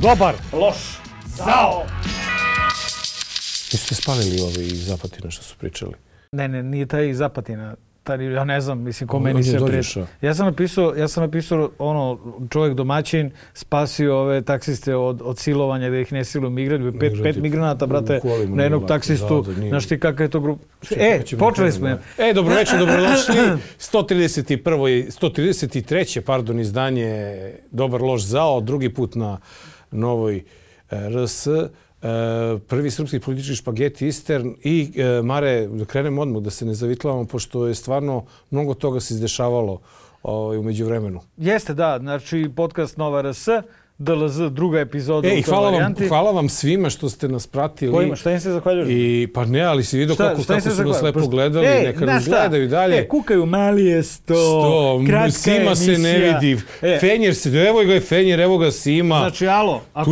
Dobar, loš, zao. Nisu te spalili ovi iz Zapatina što su pričali? Ne, nije taj iz Zapatina. Ja ne znam, mislim, ko meni se prijeti. Ja sam napisao ono, čovjek domaćin spasio ove taksiste od silovanja, da ih ne siluju migranti. Pet migranata, brate, na jednog taksistu. Znaš ti kakva je to grupa? Počeli smo. Dobroveče, dobrodošli. 133. izdanje Dobar, loš, zao. Drugi put na Novoj RS. Prvi srpski politički špageti Eastern i Mare, da krenemo odmah, da se ne zavitlavamo, pošto je stvarno mnogo toga se izdešavalo u međuvremenu. Jeste, da. Znači, podcast Nova RS, DLZ, druga epizoda u toj varijanti. Hvala vam svima što ste nas pratili. Kojima? Šta im se zahvaljuješ? Pa ne, ali si vidio kako su nas lepo gledali. Neka nas gledaju dalje. Kukaju, mali je 100, kratka Sima emisija. Se ne vidi. Fenjer se, evo ga je Fenjer, evo ga Sima. Znači, alo, ako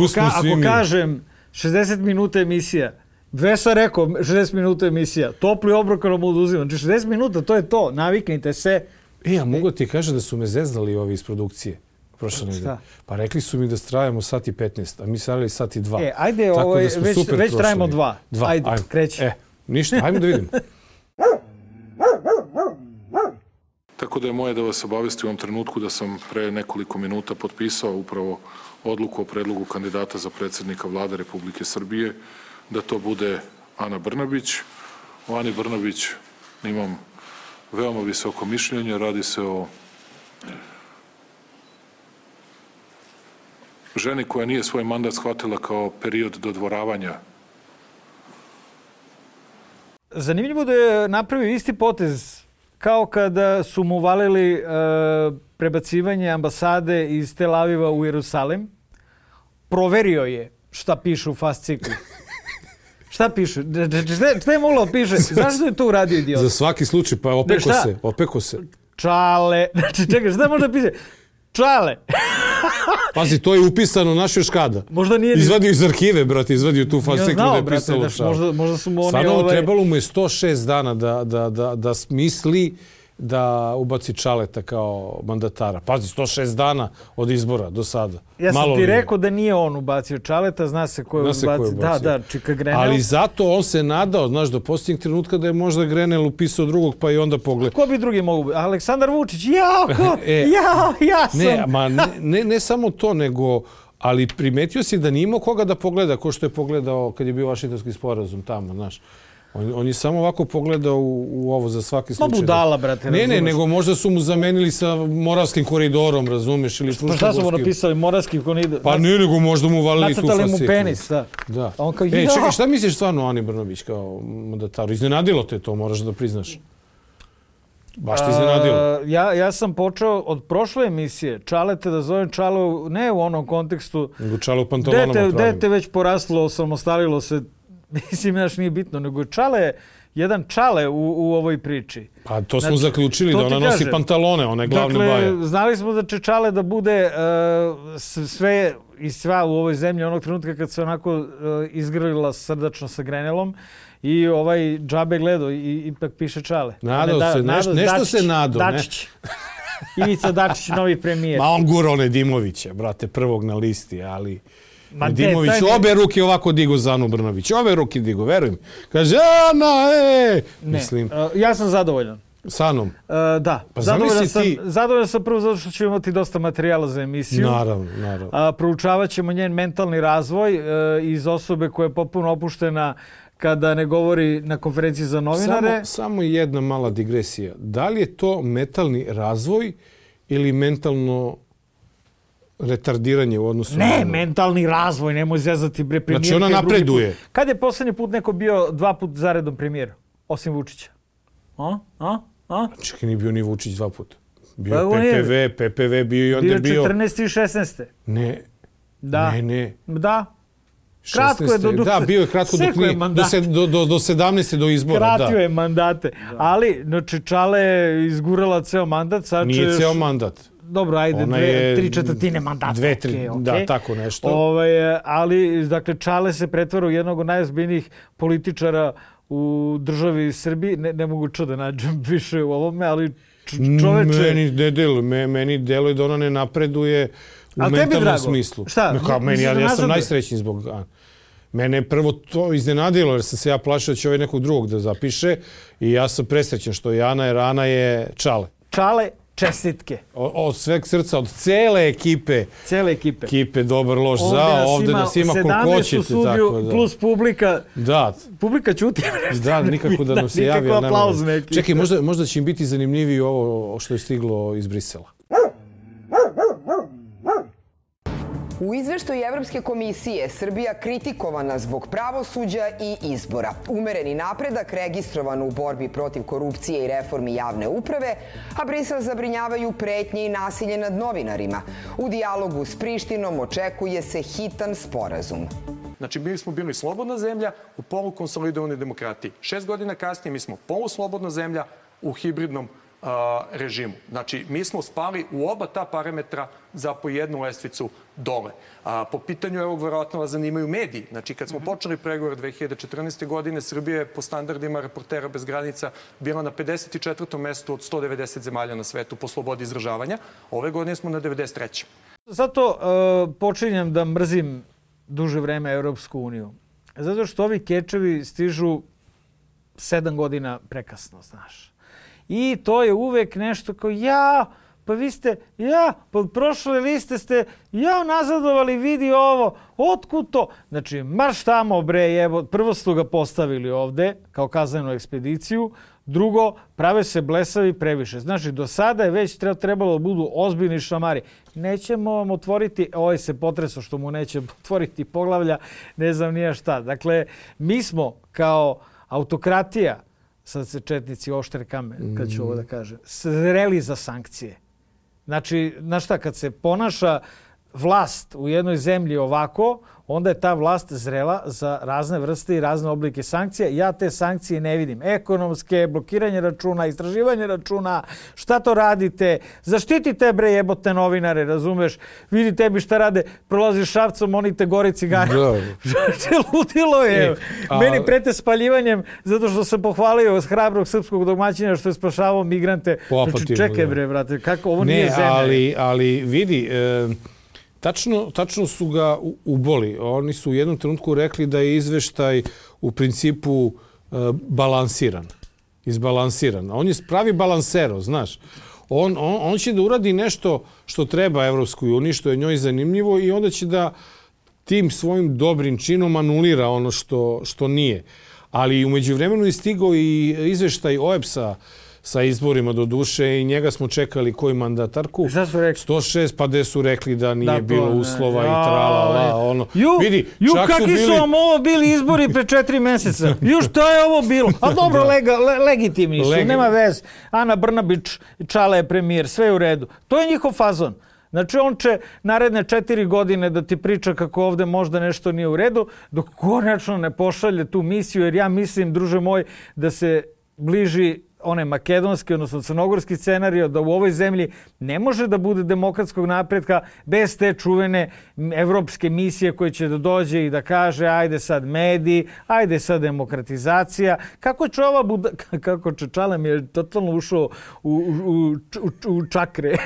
kažem 60 minuta emisija, Vesa rekao 60 minuta emisija, topli obrok nam oduzimam. Znači 60 minuta, to je to, naviknite se. A mogu ti kažem da su me zeznali ovi iz produkcije. Šta? Pa rekli su mi da trajamo sat i 15, a mi se radili sat i 2. Ajde, već trajamo 2. Ajde, kreći. Ništa, ajmo da vidimo. Tako da je moje da vas obavesti u ovom trenutku da sam pre nekoliko minuta potpisao upravo odluku o predlogu kandidata za predsjednika Vlade Republike Srbije, da to bude Ana Brnabić. O Ani Brnabić imam veoma visoko mišljenje. Radi se o ženi koja nije svoj mandat shvatila kao period dodvoravanja. Zanimljivo da je napravio isti potez kao kada su mu valili prebacivanje ambasade iz Tel Aviva u Jerusalim. Proverio je šta piše u fasciklu. Šta piše? Šta je moglo piše? Zašto je to uradio idiot? Za svaki slučaj, pa opeko se. Čale. Znači, čekaj, šta možda piše? Čale. Pazi, to je upisano našoj škada. Možda nije... Izvadio iz arhive, brate, izvadio tu fasciklu da je pisalo čale. Možda su mu oni... Stvarno, trebalo mu je 106 dana da smisli da ubaci Čaleta kao mandatara. Pazi, 106 dana od izbora do sada. Ja sam ti rekao da nije on ubacio Čaleta, zna se ko je ubacio. Da, Čika Grenel. Ali zato on se nadao, znaš, do posljednjeg trenutka da je možda Grenel upisao drugog, pa i onda pogled. Ko bi drugi mogu biti? Aleksandar Vučić, ja sam. Ne samo to, nego... Ali primetio si da nije imao koga da pogleda, ko što je pogledao kad je bio Vašingtonski sporazum tamo, znaš. On je samo ovako pogledao u ovo za svaki slučaj. Ma budala, brate, razumeš. Ne, nego možda su mu zamenili sa Moravskim koridorom, razumeš, ili Fruškogorskim. Pa šta su mu napisali, Moravski koridor? Pa ne, nego možda mu valili tu fasciklu. Nacrtali mu penis, da. A on kao, čekaj, šta misliš stvarno o Ani Brnabić kao mandataru? Iznenadilo te to, moraš da priznaš. Baš te iznenadilo. Ja sam počeo od prošle emisije Čalete da zovem Čalo, ne u onom kontekstu. Nego Čalo u pantalonama pravim. Dete već poraslo, samostalilo se. Mislim, znaš, nije bitno, nego jedan Čale u ovoj priči. Pa to smo zaključili, da ona nosi pantalone, one glavne baje. Dakle, znali smo da će Čale da bude sve i sva u ovoj zemlji onog trenutka kad se onako izgrlila srdačno sa Grenelom i ovaj džabe gledao i ipak piše Čale. Nadao se, nešto se nadao. Dačić. Ivica Dačić, novi premijer. Ma on gura one Dimovića, brate, prvog na listi, ali... Dimović obe ruke ovako digo za Anu Brnabić. Obe ruke digo, verujem. Kaže, Ana, Mislim. Ja sam zadovoljan. S Anom? Da. Pa zadovoljan sam prvo zato što ćemo imati dosta materijala za emisiju. Naravno. Proučavat ćemo njen mentalni razvoj iz osobe koja je potpuno opuštena kada ne govori na konferenciji za novinare. Samo jedna mala digresija. Da li je to mentalni razvoj ili mentalno retardiranje u odnosu... Ne, mentalni razvoj, nemoj zezati bre premijer. Znači ona napreduje. Kad je posljednji put neko bio 2 puta zaredom premijer? Osim Vučića. Čekaj, nije bio ni Vučić 2 puta. Bio je PPV bio i onda je bio... Bio 14. i 16. Ne. Da. Ne. Da. Kratko je Da, bio je kratko do 17. do izbora. Kratio je mandate. Ali, znači, Čale je izgurala ceo mandat. Nije ceo mandat. Dobro, ajde, 3/4 mandata. 2-3, da, tako nešto. Ali, dakle, Čale se pretvara u jednog od najozbiljnijih političara u državi Srbiji. Ne mogu da nađem više u ovome, ali čoveče... Meni deluje da ona ne napreduje u mentalnom smislu. Šta? Ja sam najsrećniji zbog Ane. Mene je prvo to iznenadilo jer sam se ja plašio da će ovaj nekog drugog da zapiše i ja sam presrećen što je Ana jer Ana je Čale. Čale, čestitke. Od sveg srca, od cele ekipe. Cele ekipe. Ekipe dobar loš za, ovde nas ima koliko hoćete. 17 u studiju plus publika. Da. Publika ćuti. Da, nikako da nam se javi. Nikako aplauzne ekipe. Čekaj, možda će im biti zanimljiviji ovo što je stiglo iz Brisela. U izveštaju Evropske komisije Srbija kritikovana zbog pravosuđa i izbora. Umereni napredak registrovan u borbi protiv korupcije i reformi javne uprave, a Brisel zabrinjavaju pretnje i nasilje nad novinarima. U dijalogu s Prištinom očekuje se hitan sporazum. Znači, mi smo bili slobodna zemlja u polukonsolidovanoj demokratiji. 6 godina kasnije mi smo poluslobodna zemlja u hibridnom režimu. Znači, mi smo spali u oba ta parametra za po jednu lestvicu dole. Po pitanju, evo, verovatno vas zanimaju mediji. Znači, kad smo počeli pregovor 2014. godine, Srbija je po standardima Reportera bez granica bila na 54. mestu od 190 zemalja na svetu po slobodi izražavanja. Ove godine smo na 93. Zato počinjem da mrzim duže vreme Evropsku uniju. Zato što ovi kečevi stižu 7 godina prekasno, znaš. I to je uvek nešto kao pa vi ste, pa prošle liste ste, nazadovali, vidi ovo, otkud to? Znači, marš tamo bre, prvo su ga postavili ovde kao kaznenu ekspediciju, drugo, prave se blesavi previše. Znači, do sada je već trebalo da budu ozbiljni šamari. Nećemo vam otvoriti, ovaj se potreso što mu neće otvoriti poglavlja, ne znam nija šta. Dakle, mi smo kao autokratija, sad se četnici oštre kamen, kad ću ovo da kažem, zreli za sankcije. Znači, znaš šta, kad se ponaša vlast u jednoj zemlji ovako, onda je ta vlast zrela za razne vrste i razne oblike sankcija. Ja te sankcije ne vidim. Ekonomske, blokiranje računa, istraživanje računa, šta to radite? Zaštitite bre jebote novinare, razumeš? Vidi tebi šta rade, prolaziš Šapcom, oni te gori cigare. Ludilo je. Meni prete spaljivanjem zato što sam pohvalio od hrabrog srpskog domaćina što je spašavao migrante. Znači, čekaj bre, brate, kako ovo nije zemlja. Ali vidi, tačno su ga uboli. Oni su u jednom trenutku rekli da je izveštaj u principu balansiran, izbalansiran. On je pravi balansero, znaš. On će da uradi nešto što treba Evropskoj uniji, što je njoj zanimljivo i onda će da tim svojim dobrim činom anulira ono što nije. Ali u međuvremenu je stigao i izveštaj OEBS-a sa izborima do duše i njega smo čekali koju mandatarku. Šta su rekli? 106, pa gde su rekli da nije bilo uslova i tralala. Ono. Vidi, kakvi su vam ovo bili izbori pre 4 meseca? Šta je ovo bilo? A dobro, legitimni su, nema vez. Ana Brnabić, Čale je premijer, sve je u redu. To je njihov fazon. Znači, on će naredne 4 godine da ti priča kako ovde možda nešto nije u redu, dok konačno ne pošalje tu misiju, jer ja mislim, druže moj, da se bliži one makedonski, odnosno crnogorski scenario, da u ovoj zemlji ne može da bude demokratskog napretka bez te čuvene evropske misije koje će da dođe i da kaže ajde sad mediji, ajde sad demokratizacija. Kako će Čale mi je totalno ušao u čakre.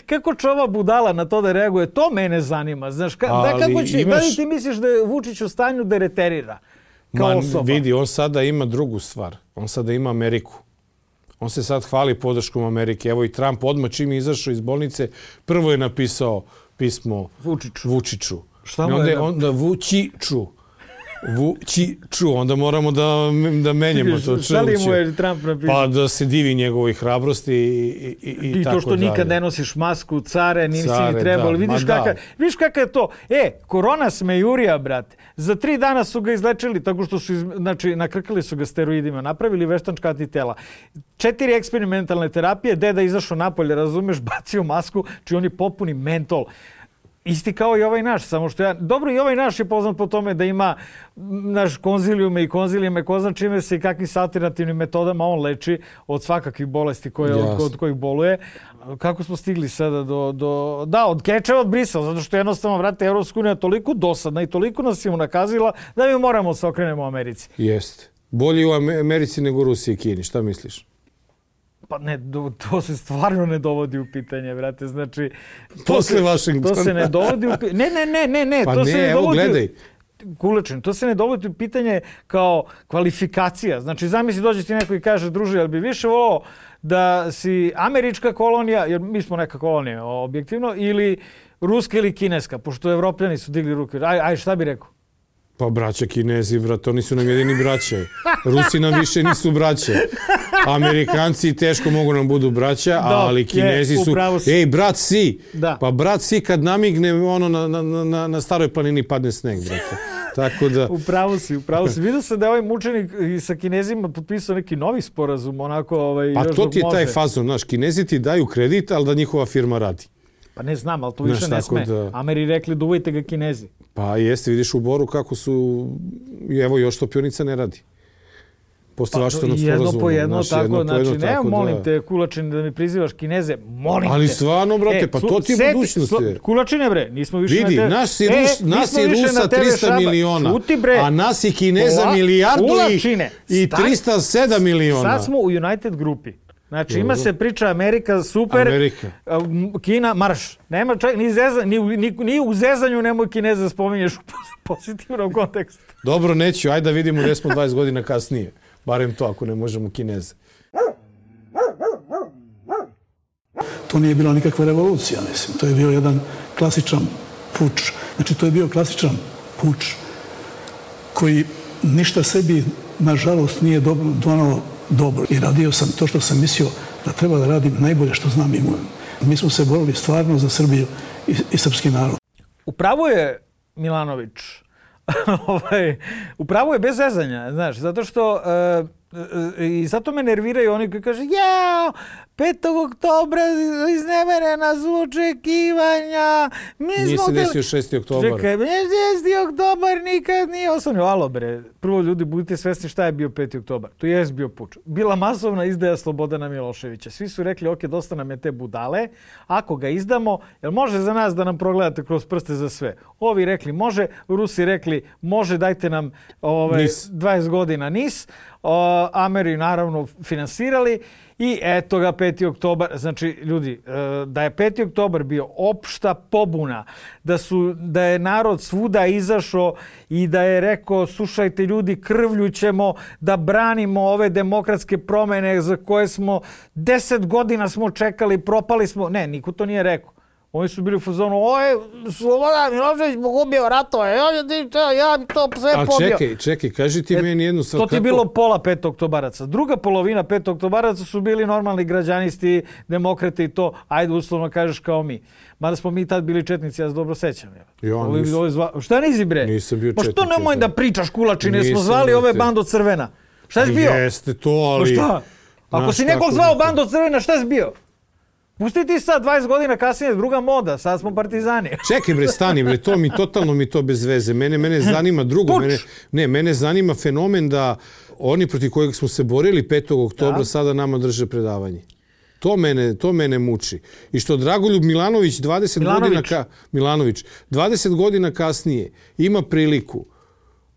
Kako će ova budala na to da reaguje? To mene zanima. Znaš, da li ti misliš da je Vučić u stanju da reterira? Vidi, on sada ima drugu stvar. On sada ima Ameriku. On se sad hvali podrškom Amerike. Evo i Trump odmah čim je izašao iz bolnice, prvo je napisao pismo Vučiću. Šta mu je? Vučiću. Onda moramo da menjamo to. Šta li mu je Trump napisao? Pa da se divi njegovoj hrabrosti i tako dalje. I to što nikad ne nosiš masku, care, nisi ni trebalo. Vidiš kakav je to? Korona smejurija, brate. Za 3 dana su ga izlečili tako što su, nakrkali su ga steroidima, napravili veštačka antitela. 4 eksperimentalne terapije, deda izašao napolje, razumeš, bacio masku, či on je popuni mentol. Isti kao i ovaj naš, samo što dobro, i ovaj naš je poznat po tome da ima konzilijume i konzilijeme, ko zna čime se i kakvim alternativnim metodama on leči od svakakvih bolesti od kojih boluje. Kako smo stigli sada od kečeva od Brisela, zato što jednostavno, vrate, Evropska unija toliko dosadna i toliko nas je unakazila da mi moramo se okrenemo Americi. Jeste. Bolje u Americi nego u Rusiji i Kini, šta misliš? Pa ne, to se stvarno ne dovodi u pitanje, brate. Znači, Posle Vašingtona. To se ne dovodi u pitanje. Ne. Pa to ne, se ne evo dovodi gledaj. Kulečin, to se ne dovodi u pitanje kao kvalifikacija. Znači, zamisli dođe ti neko i kaže, druže, jel bi više volao da si američka kolonija, jer mi smo neka kolonija objektivno, ili ruska ili kineska, pošto evropljani su digli ruke. Aj, šta bi rekao? Pa braća Kinezi, brat, oni su nam jedini braće. Rusi nam više nisu braće. Amerikanci teško mogu nam budu braća, ali Kinezi su... Ej, brat si! Da. Pa brat si kad namigne ono na staroj planini padne sneg, brate. Tako da... Upravo si. Vidio se da je ovaj mučenik sa Kinezima potpisao neki novi sporazum, onako Pa još to dok ti je taj može. fazon, znaš, Kinezi ti daju kredit, ali da njihova firma radi. Pa ne znam, ali to više ne sme. Da... Ameri rekli da uvojte ga Kinezi. Pa jeste, vidiš u Boru kako su... Evo, još topionica ne radi. Posle Vašingtonskog sporazuma. Jedno po jedno, znači, ne, molim te, Kulačin, da mi prizivaš Kineze, molim te. Ali stvarno, brate, pa to ti je budućnost. Kulačine, bre, nismo više vidi, na nas je Rusa 300 miliona, a nas je Kineza milijardu i 307 miliona. Sad smo u United grupi. Znači, ima se priča Amerika, super, Amerika. Kina, marš. Nema čak, ni u zezanju nemoj Kineza spominješ u pozitivnom kontekstu. Dobro, neću, ajde da vidimo gdje smo 20 godina kasnije. Barem to, ako ne možemo Kineze. To nije bila nikakva revolucija, mislim. To je bio jedan klasičan puč. Znači, to je bio klasičan puč koji ništa sebi, nažalost, nije donao dobro. I radio sam to što sam mislio da treba da radim najbolje što znam i umem. Mi smo se borili stvarno za Srbiju i srpski narod. Upravo je Milanović. Upravo je bez zezanja, znaš, zato što i zato me nerviraju oni koji kaže 5. oktobra izneverena su očekivanja. Nije se desio 6. oktobar. Čekaj, 6. oktobar nikad nije osnovno. Alo bre, prvo ljudi budite svesni šta je bio 5. oktobar. To je bio puč. Bila masovna izdaja Slobodana Miloševića. Svi su rekli, ok, dosta nam je te budale. Ako ga izdamo, jel može za nas da nam progledate kroz prste za sve? Ovi rekli može, Rusi rekli može, dajte nam 20 godina NIS. Ameri naravno finansirali i eto ga 5. oktobar. Znači, ljudi, da je 5. oktobar bio opšta pobuna, da je narod svuda izašao i da je rekao, slušajte ljudi, krvlju ćemo da branimo ove demokratske promjene za koje smo 10 godina smo čekali, propali smo. Ne, niko to nije rekao. Oni su bili u fazonu, Slobodan Milošević pogubio ratove, ja bi to sve pobio. A čekaj, kaži ti meni jednu stvar. To ti je bilo pola 5. oktobaraca. Druga polovina 5. oktobaraca su bili normalni građanisti, demokrate i to, ajde uslovno kažeš kao mi. Mada smo mi tad bili četnici, ja se dobro sećam. Šta nisi bre? Nisam bio četnik. Pa što nemoj da pričaš Kulačine, smo zvali ove Bando Crvena. Šta si bio? Jeste to, ali... Šta? Ako si nekog zvao Bando Crvena, šta si bio? Pusti ti sad 20 godina kasnije, druga moda, sad smo partizani. Čekaj bre, stani bre, totalno mi to bez veze. Mene zanima drugo. Mene zanima fenomen da oni protiv kojeg smo se borili 5. oktobra sada nama drže predavanje. To mene muči. I što Dragoljub Milanović 20 godina kasnije ima priliku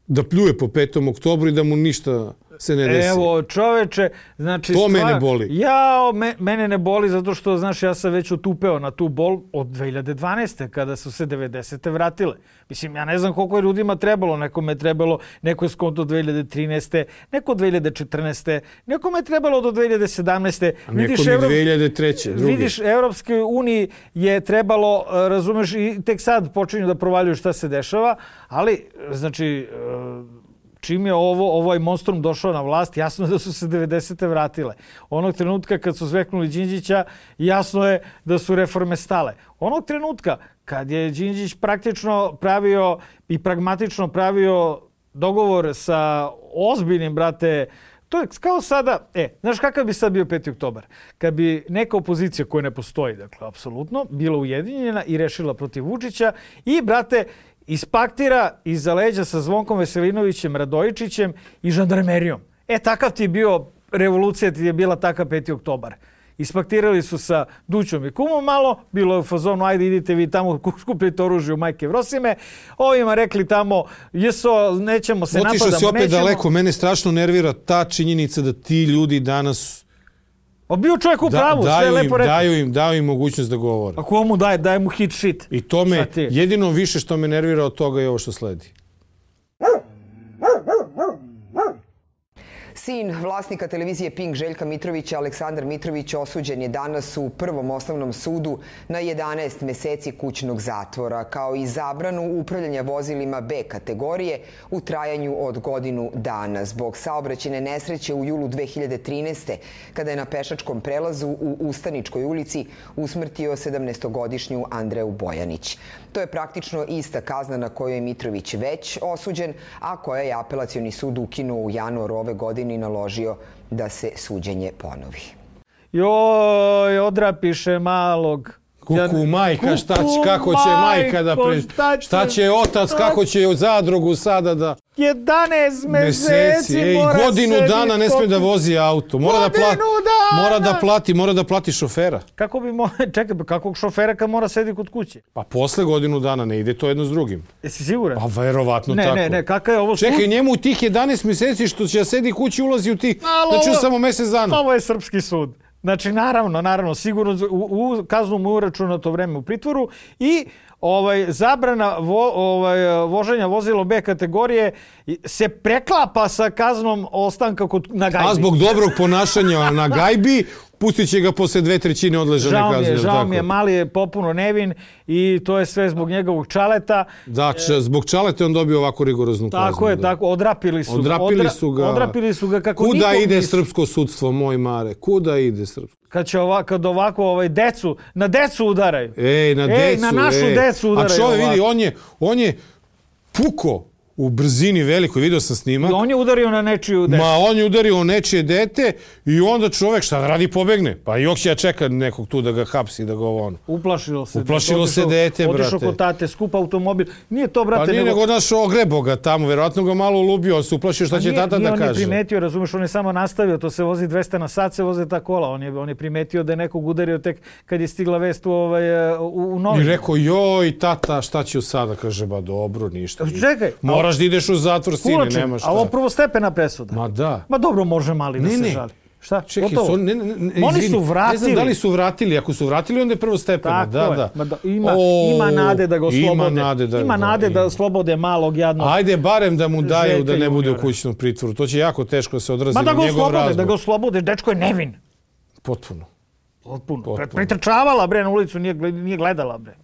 da pljuje po 5. oktobru i da mu ništa se ne desi. Evo, čoveče, znači... To mene boli. Mene ne boli zato što, znaš, ja sam već otupeo na tu bol od 2012. kada su se 90. vratile. Mislim, ja ne znam koliko je ljudima trebalo. Nekome je trebalo, neko je skonto 2013. Neko 2014. Nekome je trebalo do 2017. A nekom je 2003. Vidiš, Evropskoj uniji je trebalo, razumeš, i tek sad počinju da provaljuju šta se dešava, ali, znači... Čim je ovaj monstrum došao na vlast, jasno je da su se 90. vratile. Onog trenutka kad su zveknuli Đinđića, jasno je da su reforme stale. Onog trenutka kad je Đinđić praktično pravio i pragmatično pravio dogovor sa ozbiljnim, brate, to je kao sada, znaš kakav bi sad bio 5. oktobar? Kad bi neka opozicija koja ne postoji, dakle, apsolutno, bila ujedinjena i rešila protiv Vučića i, brate, ispaktira iza leđa sa Zvonkom Veselinovićem, Radojičićem i žandarmerijom. Takav ti je bio, revolucija ti je bila takav 5. oktobar. Ispaktirali su sa Dućom i Kumom malo, bilo je u fazonu, ajde idite vi tamo, skupljite oružje u Majke Vrosime. Ovima rekli tamo, nećemo se napadamo, otišao si opet daleko, mene strašno nervira ta činjenica da ti ljudi danas Bio čovjek u pravu, sve je lepo rekao. Daju im mogućnost da govore. A ko mu daje mu hit shit. I to me, jedino više što me nervira od toga je ovo što sledi. Sin vlasnika televizije Pink Željka Mitrovića, Aleksandar Mitrović, osuđen je danas u Prvom osnovnom sudu na 11 meseci kućnog zatvora, kao i zabranu upravljanja vozilima B kategorije u trajanju od godinu dana zbog saobraćajne nesreće u julu 2013. kada je na pešačkom prelazu u Ustaničkoj ulici usmrtio 17-godišnju Andreju Bojanić. To je praktično ista kazna na koju je Mitrović već osuđen, a koja je apelacioni sud ukinuo u januaru ove godine i naložio da se suđenje ponovi. Joj, odrapiše malog. Kuku, majka, kako će majka da... Šta će otac, kako će zadrugu sada da... 11 meseci mora godinu dana ne sme da vozi auto. Mora da plati šofera. Kako bi čekaj, kakvog šofera kad mora sedi kod kuće? Pa posle godinu dana ne ide to jedno s drugim. Jesi siguran? Pa verovatno tako. Ne, kakav je ovo sud? Čekaj, njemu tih 11 meseci što će sedi kući ulazi u tih, znači samo mesec dana. Ovo je srpski sud. Znači, naravno, sigurno u kaznu mu uračunato vreme u pritvoru i zabrana voženja vozilo B kategorije se preklapa sa kaznom ostanka na gajbi. A zbog dobrog ponašanja na gajbi pustit će ga posle 2/3 odležane kazne. Žao mi je, mali je popuno nevin i to je sve zbog njegovog čaleta. Da, zbog čaleta on dobio ovako rigoroznu kaznu. Tako, odrapili su ga kako nikom Kuda ide srpsko sudstvo, moj Mare? Kuda ide srpsko? Kad ovako na decu udaraju. Na našu decu udaraju. A čovjek vidi, on je puko u brzini velikoj, vidio sam snimak. I on je udario na nečiju decu. On je udario u nečije dete i onda čovjek šta da radi, pobegne. Pa i će ja čeka nekog tu da ga hapsi, da ga ono. Uplašilo se dete, brate. Otišao kod tate, skup automobil. Nije to, brate, pa nije nego naš ogrebo ga tamo, verovatno ga malo ulubio, on se uplašio šta će tata da kaže. On je primetio, razumeš, on je samo nastavio, to se vozi 200 na sat, se voze ta kola. On je primetio da je nekog udario tek kad je stigla vest u novinu. I rekao, joj, tata, šta ću sada? Kaže, ba dobro, ništa. Čekaj. Moraš da ideš u zatvor, sine, nema šta. A ovo prvostepena presuda. Ma da. Ma dobro, može mali da se žali. Šta? Čekaj, oni su vratili. Ne znam da li su vratili. Ako su vratili, onda je prvostepena. Da. Ima nade da ga oslobode. Ima nade da oslobode malog jadnog. Ajde, barem da mu daju da ne bude u kućnom pritvoru. To će jako teško se odrazi na njegov razbor. Da ga oslobode, dečko je nevin. Potpuno. Pretrčavala, bre, na ulicu, nije gledala, bre.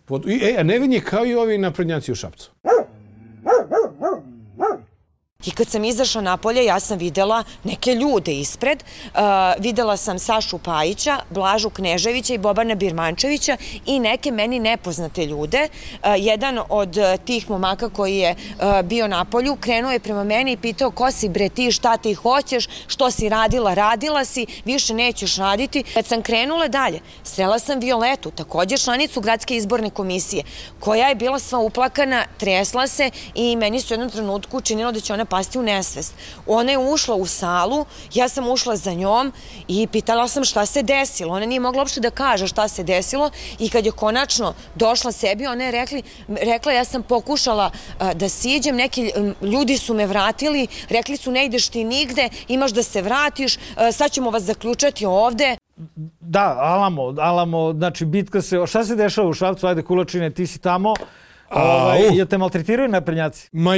A nevin je kao i ovi naprednjaci u Šapcu. I kad sam izašla napolje, ja sam videla neke ljude ispred. Videla sam Sašu Pajića, Blažu Kneževića i Bobana Birmančevića i neke meni nepoznate ljude. Jedan od tih momaka koji je bio napolju krenuo je prema meni i pitao: ko si bre ti, šta ti hoćeš, što si radila si, više nećeš raditi. Kad sam krenula dalje, srela sam Violetu, također članicu gradske izborne komisije, koja je bila sva uplakana, tresla se i meni su u jednom trenutku učinilo da će ona pasti u nesvest. Ona je ušla u salu, ja sam ušla za njom i pitala sam šta se desilo. Ona nije mogla uopšte da kaže šta se desilo i kad je konačno došla sebi, ona je rekla ja sam pokušala da siđem, neki ljudi su me vratili, rekli su ne ideš ti nigde, imaš da se vratiš, sad ćemo vas zaključati ovde. Da, Alamo, znači bitka se, šta se dešava u Šapcu, ajde Kulačine, ti si tamo. Jel te maltretiraju naprednjaci? Ma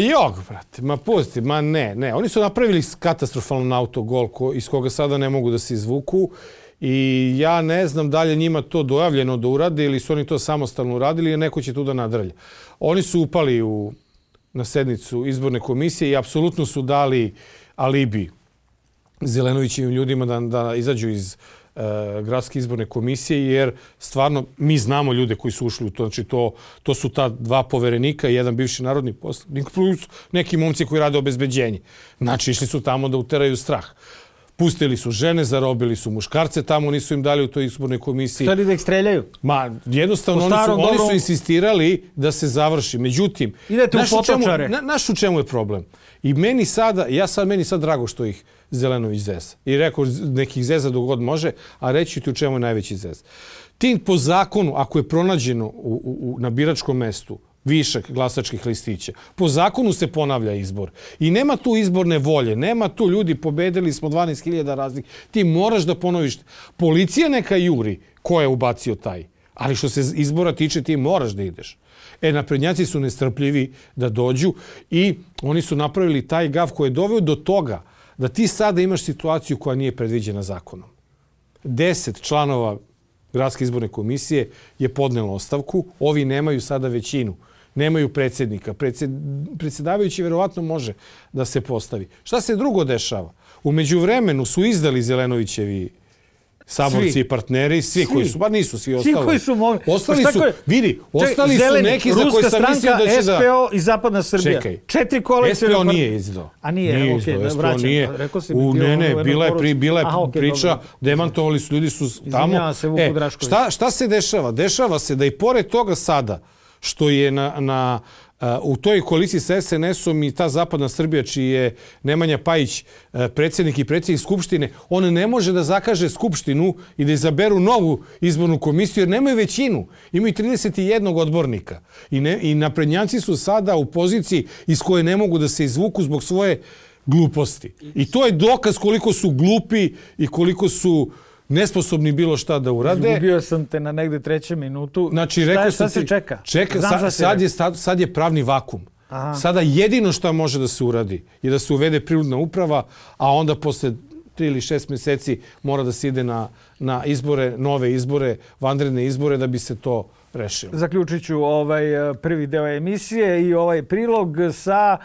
brate, pusti, ne. Oni su napravili katastrofalan autogol iz koga sada ne mogu da se izvuku i ja ne znam da li je njima to dojavljeno da urade ili su oni to samostalno uradili ili neko će tu da nadrlja. Oni su upali na sednicu izborne komisije i apsolutno su dali alibi Zelenovićevim ljudima da izađu iz gradske izborne komisije, jer stvarno mi znamo ljude koji su ušli u to. Znači to su ta dva poverenika i jedan bivši narodni poslanik plus neki momci koji rade obezbeđenje. Znači išli su tamo da uteraju strah. Pustili su žene, zarobili su muškarce, tamo nisu im dali u toj izbornoj komisiji. Hteli da ih streljaju? Jednostavno oni su insistirali da se završi. Međutim, znaš u čemu je problem? I meni sad drago što ih Zelenović zeza. I rekao nekih zeza dok god može, a reći ti u čemu je najveći zez. Tim po zakonu, ako je pronađeno na biračkom mestu višak glasačkih listića. Po zakonu se ponavlja izbor. I nema tu izborne volje, nema tu ljudi pobedili smo 12.000 raznih. Ti moraš da ponoviš. Policija neka juri ko je ubacio taj. Ali što se izbora tiče, ti moraš da ideš. Naprednjaci su nestrpljivi da dođu i oni su napravili taj gaf koji je doveo do toga da ti sada imaš situaciju koja nije predviđena zakonom. 10 članova Gradske izborne komisije je podnelo ostavku. Ovi nemaju sada većinu. Nemaju predsjednika. Predsjedavajući verovatno može da se postavi. Šta se drugo dešava? U međuvremenu su izdali Zelenovićevi saborci i partneri, svi koji su, pa nisu svi ostali. Svi koji su mogli. Ostali su, vidi, ostali su neki za koje sam mislio da će da... Ruska stranka, SPO i Zapadna Srbija. Čekaj, 4 koalicije... SPO nije izdao. A nije, okej, SPO nije. Ne, bila je priča, demantovali su, ljudi su tamo. Izvinjava se Vuku Drašković. Šta se dešava? Dešava se da i pored toga sada, što je u toj koaliciji sa SNS-om i ta Zapadna Srbija, čiji je Nemanja Pajić predsjednik i predsjednik Skupštine, on ne može da zakaže Skupštinu i da izaberu novu izbornu komisiju, jer nemaju većinu. Imaju 31 odbornika. I naprednjaci su sada u poziciji iz koje ne mogu da se izvuku zbog svoje gluposti. I to je dokaz koliko su glupi i koliko su nesposobni bilo šta da urade. Izgubio sam te na negde 3. minutu. Znači, šta se čeka? Sad je pravni vakum. Aha. Sada jedino što može da se uradi je da se uvede prinudna uprava, a onda posle 3 ili 6 mjeseci mora da se ide na izbore, nove izbore, vanredne izbore da bi se to rešilo. Zaključit ću prvi deo emisije i ovaj prilog sa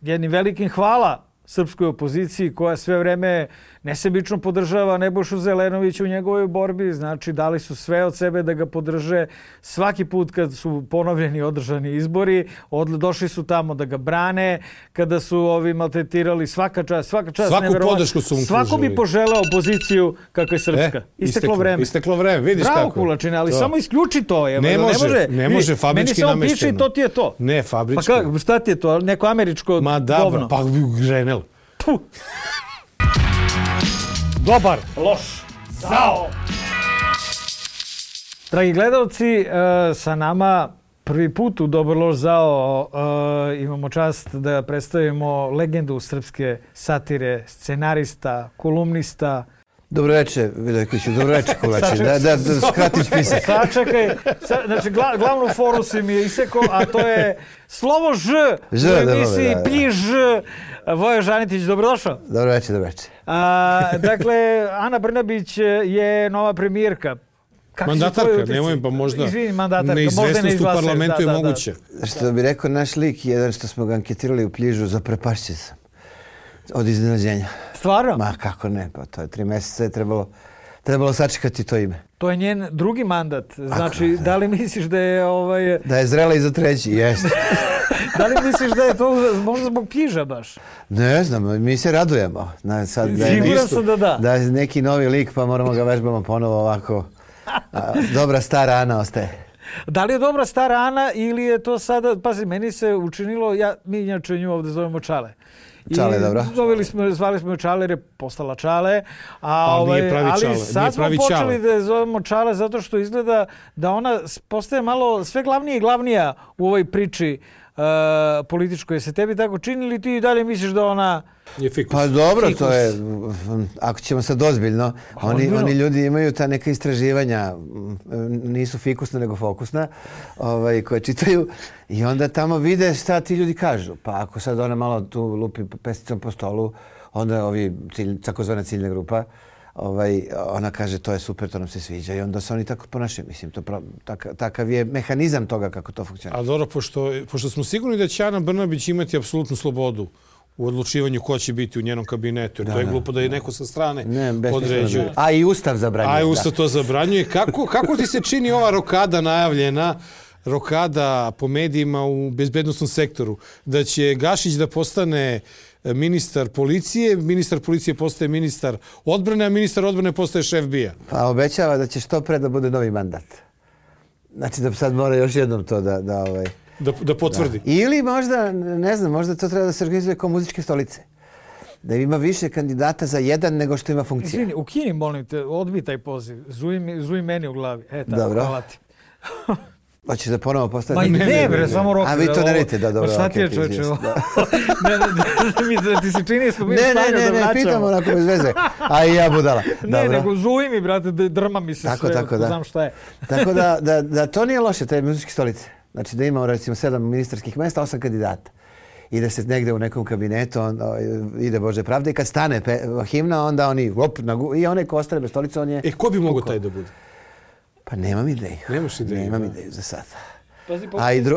jednim velikim hvala srpskoj opoziciji koja sve vreme nesebično podržava Nebojšu Zelenovića u njegovoj borbi. Znači, dali su sve od sebe da ga podrže. Svaki put kad su ponovljeni održani izbori, došli su tamo da ga brane. Kada su ovi maltretirali, svaka čast svaku podršku su mu pružili. Svako bi poželeo opoziciju kakva je srpska. Isteklo vreme. Vidiš bravo, kako. Bravo, Kulačine, ali samo isključi to. Ne može fabrički namešteno. Meni samo piše i to ti je to. Ne, fabrički. Pa šta ti je to? Neko američko govno? Ma da, pa Grenell. Dobar, loš, zao. Dragi gledalci, sa nama prvi put u Dobar, loš, zao imamo čast da predstavimo legendu srpske satire, scenarista, kolumnista. Dobro večer, Vidojkoviću, dobro večer, Kulači. Da skratim spisak. Sačekaj, znači glavnu foru si mi je isekao, a to je slovo Ž u emisiji Plji Ž. Vojo Žanitić, dobrodošao. Dobro večer. Dakle, Ana Brnabić je nova premijerka. Mandatarka, nemoj pa možda. Izvini, mandatarka. Neizvesnost u parlamentu je moguće. Što bi rekao naš lik, jedan što smo ga anketirali u Pljižu, zaprepašćen sam. Od iznenađenja. Stvarno? Ma kako ne, pa to je 3 mjeseca je trebalo sačekati to ime. To je njen drugi mandat. Znači, da li misliš da je... Da je zrela i za 3, jeste. Da li misliš da je to možda zbog Pljiža baš? Ne znam, mi se radujemo. Siguran sam da. Da je neki novi lik, pa moramo ga vežbamo ponovo ovako. Dobra stara Ana ostaje. Da li je dobra stara Ana ili je to sada... Pazi, meni se učinilo... Mi inače nju ovdje zovemo Čale. Čale, dobro. Zvali smo ju Čale jer je postala Čale. Nije pravi Čale. Ali sad smo počeli da je zovemo Čale zato što izgleda da ona postaje malo sve glavnija i glavnija u ovoj priči političkoj. Se tebi tako čini ili ti dalje misliš da ona... Pa dobro, to je, ako ćemo sad ozbiljno, oni ljudi imaju ta neka istraživanja, nisu fikusna nego fokusna, koje čitaju i onda tamo vide šta ti ljudi kažu. Pa ako sad ona malo tu lupi pesticom po stolu, onda ovi takozvana ciljna grupa, ona kaže to je super, to nam se sviđa i onda se oni tako ponašaju. Mislim, takav je mehanizam toga kako to funkcionira. A dobro, pošto smo sigurni da će Ana Brnabić imati apsolutnu slobodu u odlučivanju ko će biti u njenom kabinetu. Jer to je glupo da je neko sa strane određuje. A i Ustav zabranjuje. A i Ustav to zabranjuje. Kako ti se čini ova rokada najavljena, rokada po medijima u bezbednostnom sektoru, da će Gašić da postane ministar policije postaje ministar odbrane, a ministar odbrane postaje šef BIA? Pa obećava da će što pre da bude novi mandat. Znači da sad mora još jednom to da potvrdi. Da. Ili možda, ne znam, možda to treba da se organizuje kao muzičke stolice. Da ima više kandidata za jedan nego što ima funkcija. Izvini, ukini, molim te, odbij taj poziv. Zuj meni u glavi. Dobro. Hvala ti. Hoćeš da ponovo postaviti? Ne, bre, samo Roka. A vi to ne radite, da, dobro. Šta ti je, čoveče? Ti se čini smo mi u stanju da vraćamo. Ne, pitamo onako bez veze. A i ja budala. Ne, nego zuji mi, brate, drma mi se sve, tako, da. Znam šta je. Tako da to nije loše, te muzičke stolice. Znači da imamo recimo 7 ministarskih mesta, 8 kandidata. I da se negde u nekom kabinetu ide Bože pravde i kad stane himna, onda oni i onaj ko ostane bez stolice, on je... Ko bi mogo taj da bude? Pa nemam ideju. Nemaš ideju? Nemam ideju za sad.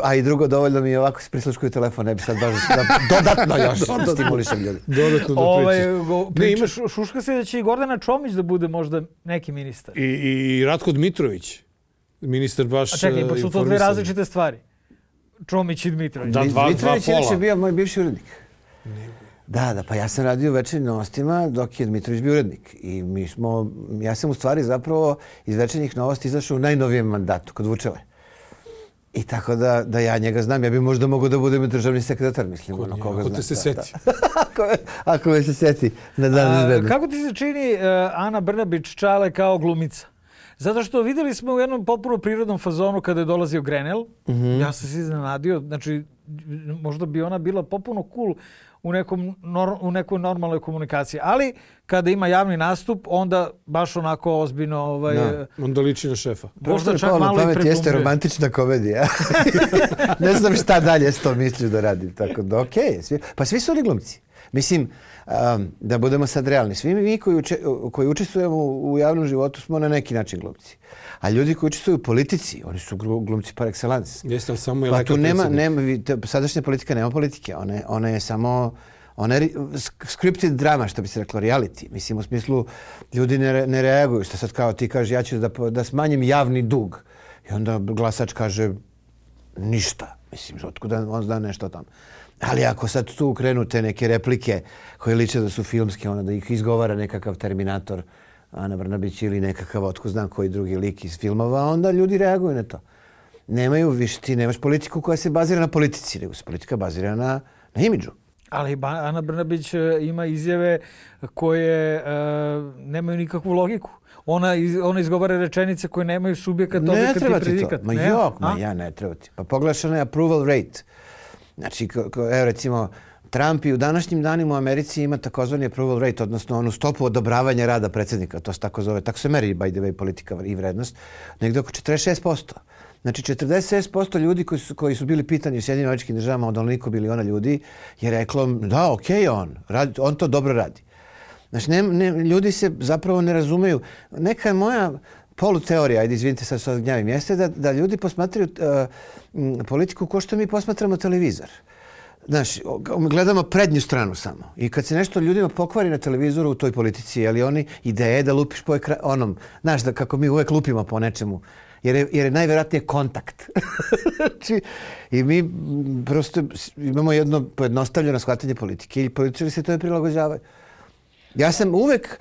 A i drugo, dovoljno mi je ovako se prisluškuju telefon, ne bi sad baš dodatno još stimulišem ljudi. Dodatno da pričaš. Šuška se da će i Gordana Čomić da bude možda neki ministar. I Ratko Dmitrović, ministar baš... A čekaj, pa su to dve različite stvari. Čomić i Dmitrović. Da, dva Dmitrović pola. je bio moj bivši urednik. Da, pa ja sam radio u Večernjim novostima dok je Dmitrović bio urednik. I ja sam u stvari zapravo iz Večernjih novosti izašao u najnovijem mandatu, kod Vučele. I tako da ja njega znam. Ja bi možda mogao da budem državni sekretar, mislim. Ako te se seti. Ako me se seti na dan izvedbe. Kako ti se čini Ana Brnabić Čale kao glumica? Zato što videli smo u jednom potpuno prirodnom fazonu kada je dolazio Grenell. Ja sam se iznenadio. Znači, možda bi ona bila potpuno cool u nekoj normalnoj komunikaciji. Ali kada ima javni nastup, onda baš onako ozbiljno... Onda liči na šefa. Možda čak malo i preglumljuje. Jeste romantična komedija. Ne znam šta dalje s to mislio da radim. Tako da, okej. Pa svi su oni glumci. Mislim, da budemo sad realni. Svi mi koji učestvujemo u javnom životu smo na neki način glumci. A ljudi koji učestvuju u politici, oni su glumci par excellence. Jeste, ali samo je pa tu nema, sadašnja politika nema politike. Ona je samo scripted drama, što bi se reklo, reality. Mislim, u smislu, ljudi ne reaguju. Što sad kao ti kaže, ja ću da smanjim javni dug. I onda glasač kaže ništa. Mislim, otkuda on zna nešto o tom. Ali ako sad tu krenu te neke replike koje liče da su filmske, onda da ih izgovara nekakav Terminator, Ana Brnabić ili nekakav otko znam koji drugi lik iz filmova, onda ljudi reaguju na to. Ti nemaš politiku koja se bazira na politici, nego se politika bazira na imidžu. Ali Ana Brnabić ima izjave koje nemaju nikakvu logiku. Ona izgovara rečenice koje nemaju subjekat, objekat i predikat. Ja ne treba ti. Pa pogledaš onaj approval rate. Znači, evo recimo, Trump i u današnjim danima u Americi ima takozvani approval rate, odnosno onu stopu odobravanja rada predsjednika. To se tako zove. Tako se meri, by the way, politika i vrednost. Negdje oko 46%. Znači, 46% ljudi koji su bili pitani u Sjedinjenim Američkim Državama od onoliko biliona ljudi je reklo da, okej, on to dobro radi. Znači, ljudi se zapravo ne razumeju. Neka je moja poluteorija, ajde izvinite sad što gnjavim, jeste da ljudi posmatraju politiku kao što mi posmatramo televizor. Znaš, gledamo prednju stranu samo. I kad se nešto ljudima pokvari na televizoru u toj politici, ali oni ideje da lupiš po onom, znaš, da kako mi uvek lupimo po nečemu, jer je najvjerojatnije kontakt. I mi prosto imamo jedno pojednostavljeno shvatanje politike i političari se to ne prilagođavaju. Ja sam uvek,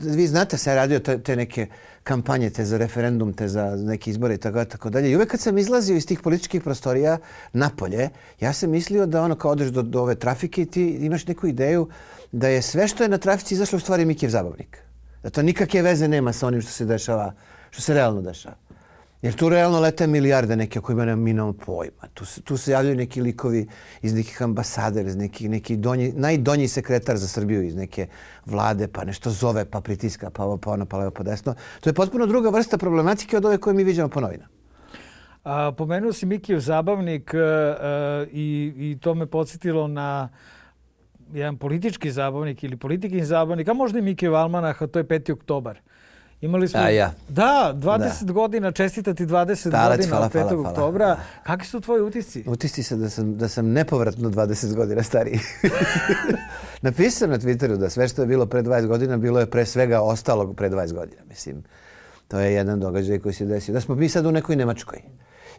vi znate, sam radio te neke kampanje, te za referendum, te za neke izbore i tako dalje. I uvek kad sam izlazio iz tih političkih prostorija napolje, ja sam mislio da kao odeš do ove trafike i ti imaš neku ideju da je sve što je na trafici izašlo u stvari Mikijev zabavnik. Da to nikakve veze nema sa onim što se dešava, što se realno dešava. Jer tu realno lete milijarde neke o kojima nemamo pojma. Tu se javljaju neki likovi iz nekih ambasada, iz neki najdonji sekretar za Srbiju iz neke vlade, pa nešto zove, pa pritiska, pa ovo, pa ono, pa levo, pa desno. To je potpuno druga vrsta problematike od ove koje mi viđamo po novinama. Pomenuo si Mikijev zabavnik i to me podsjetilo na jedan politički zabavnik ili politikin zabavnik, a možda i Mikijev almanah, a to je 5. oktobar. Imali smo, da, 20 godina, čestitati 20 godina od 5. oktobra. Kakvi su tvoji utisci? Utisci se da sam nepovratno 20 godina stariji. Napisao sam na Twitteru da sve što je bilo pre 20 godina bilo je pre svega ostalog pre 20 godina. Mislim, to je jedan događaj koji se desio. Da smo mi sad u nekoj Nemačkoj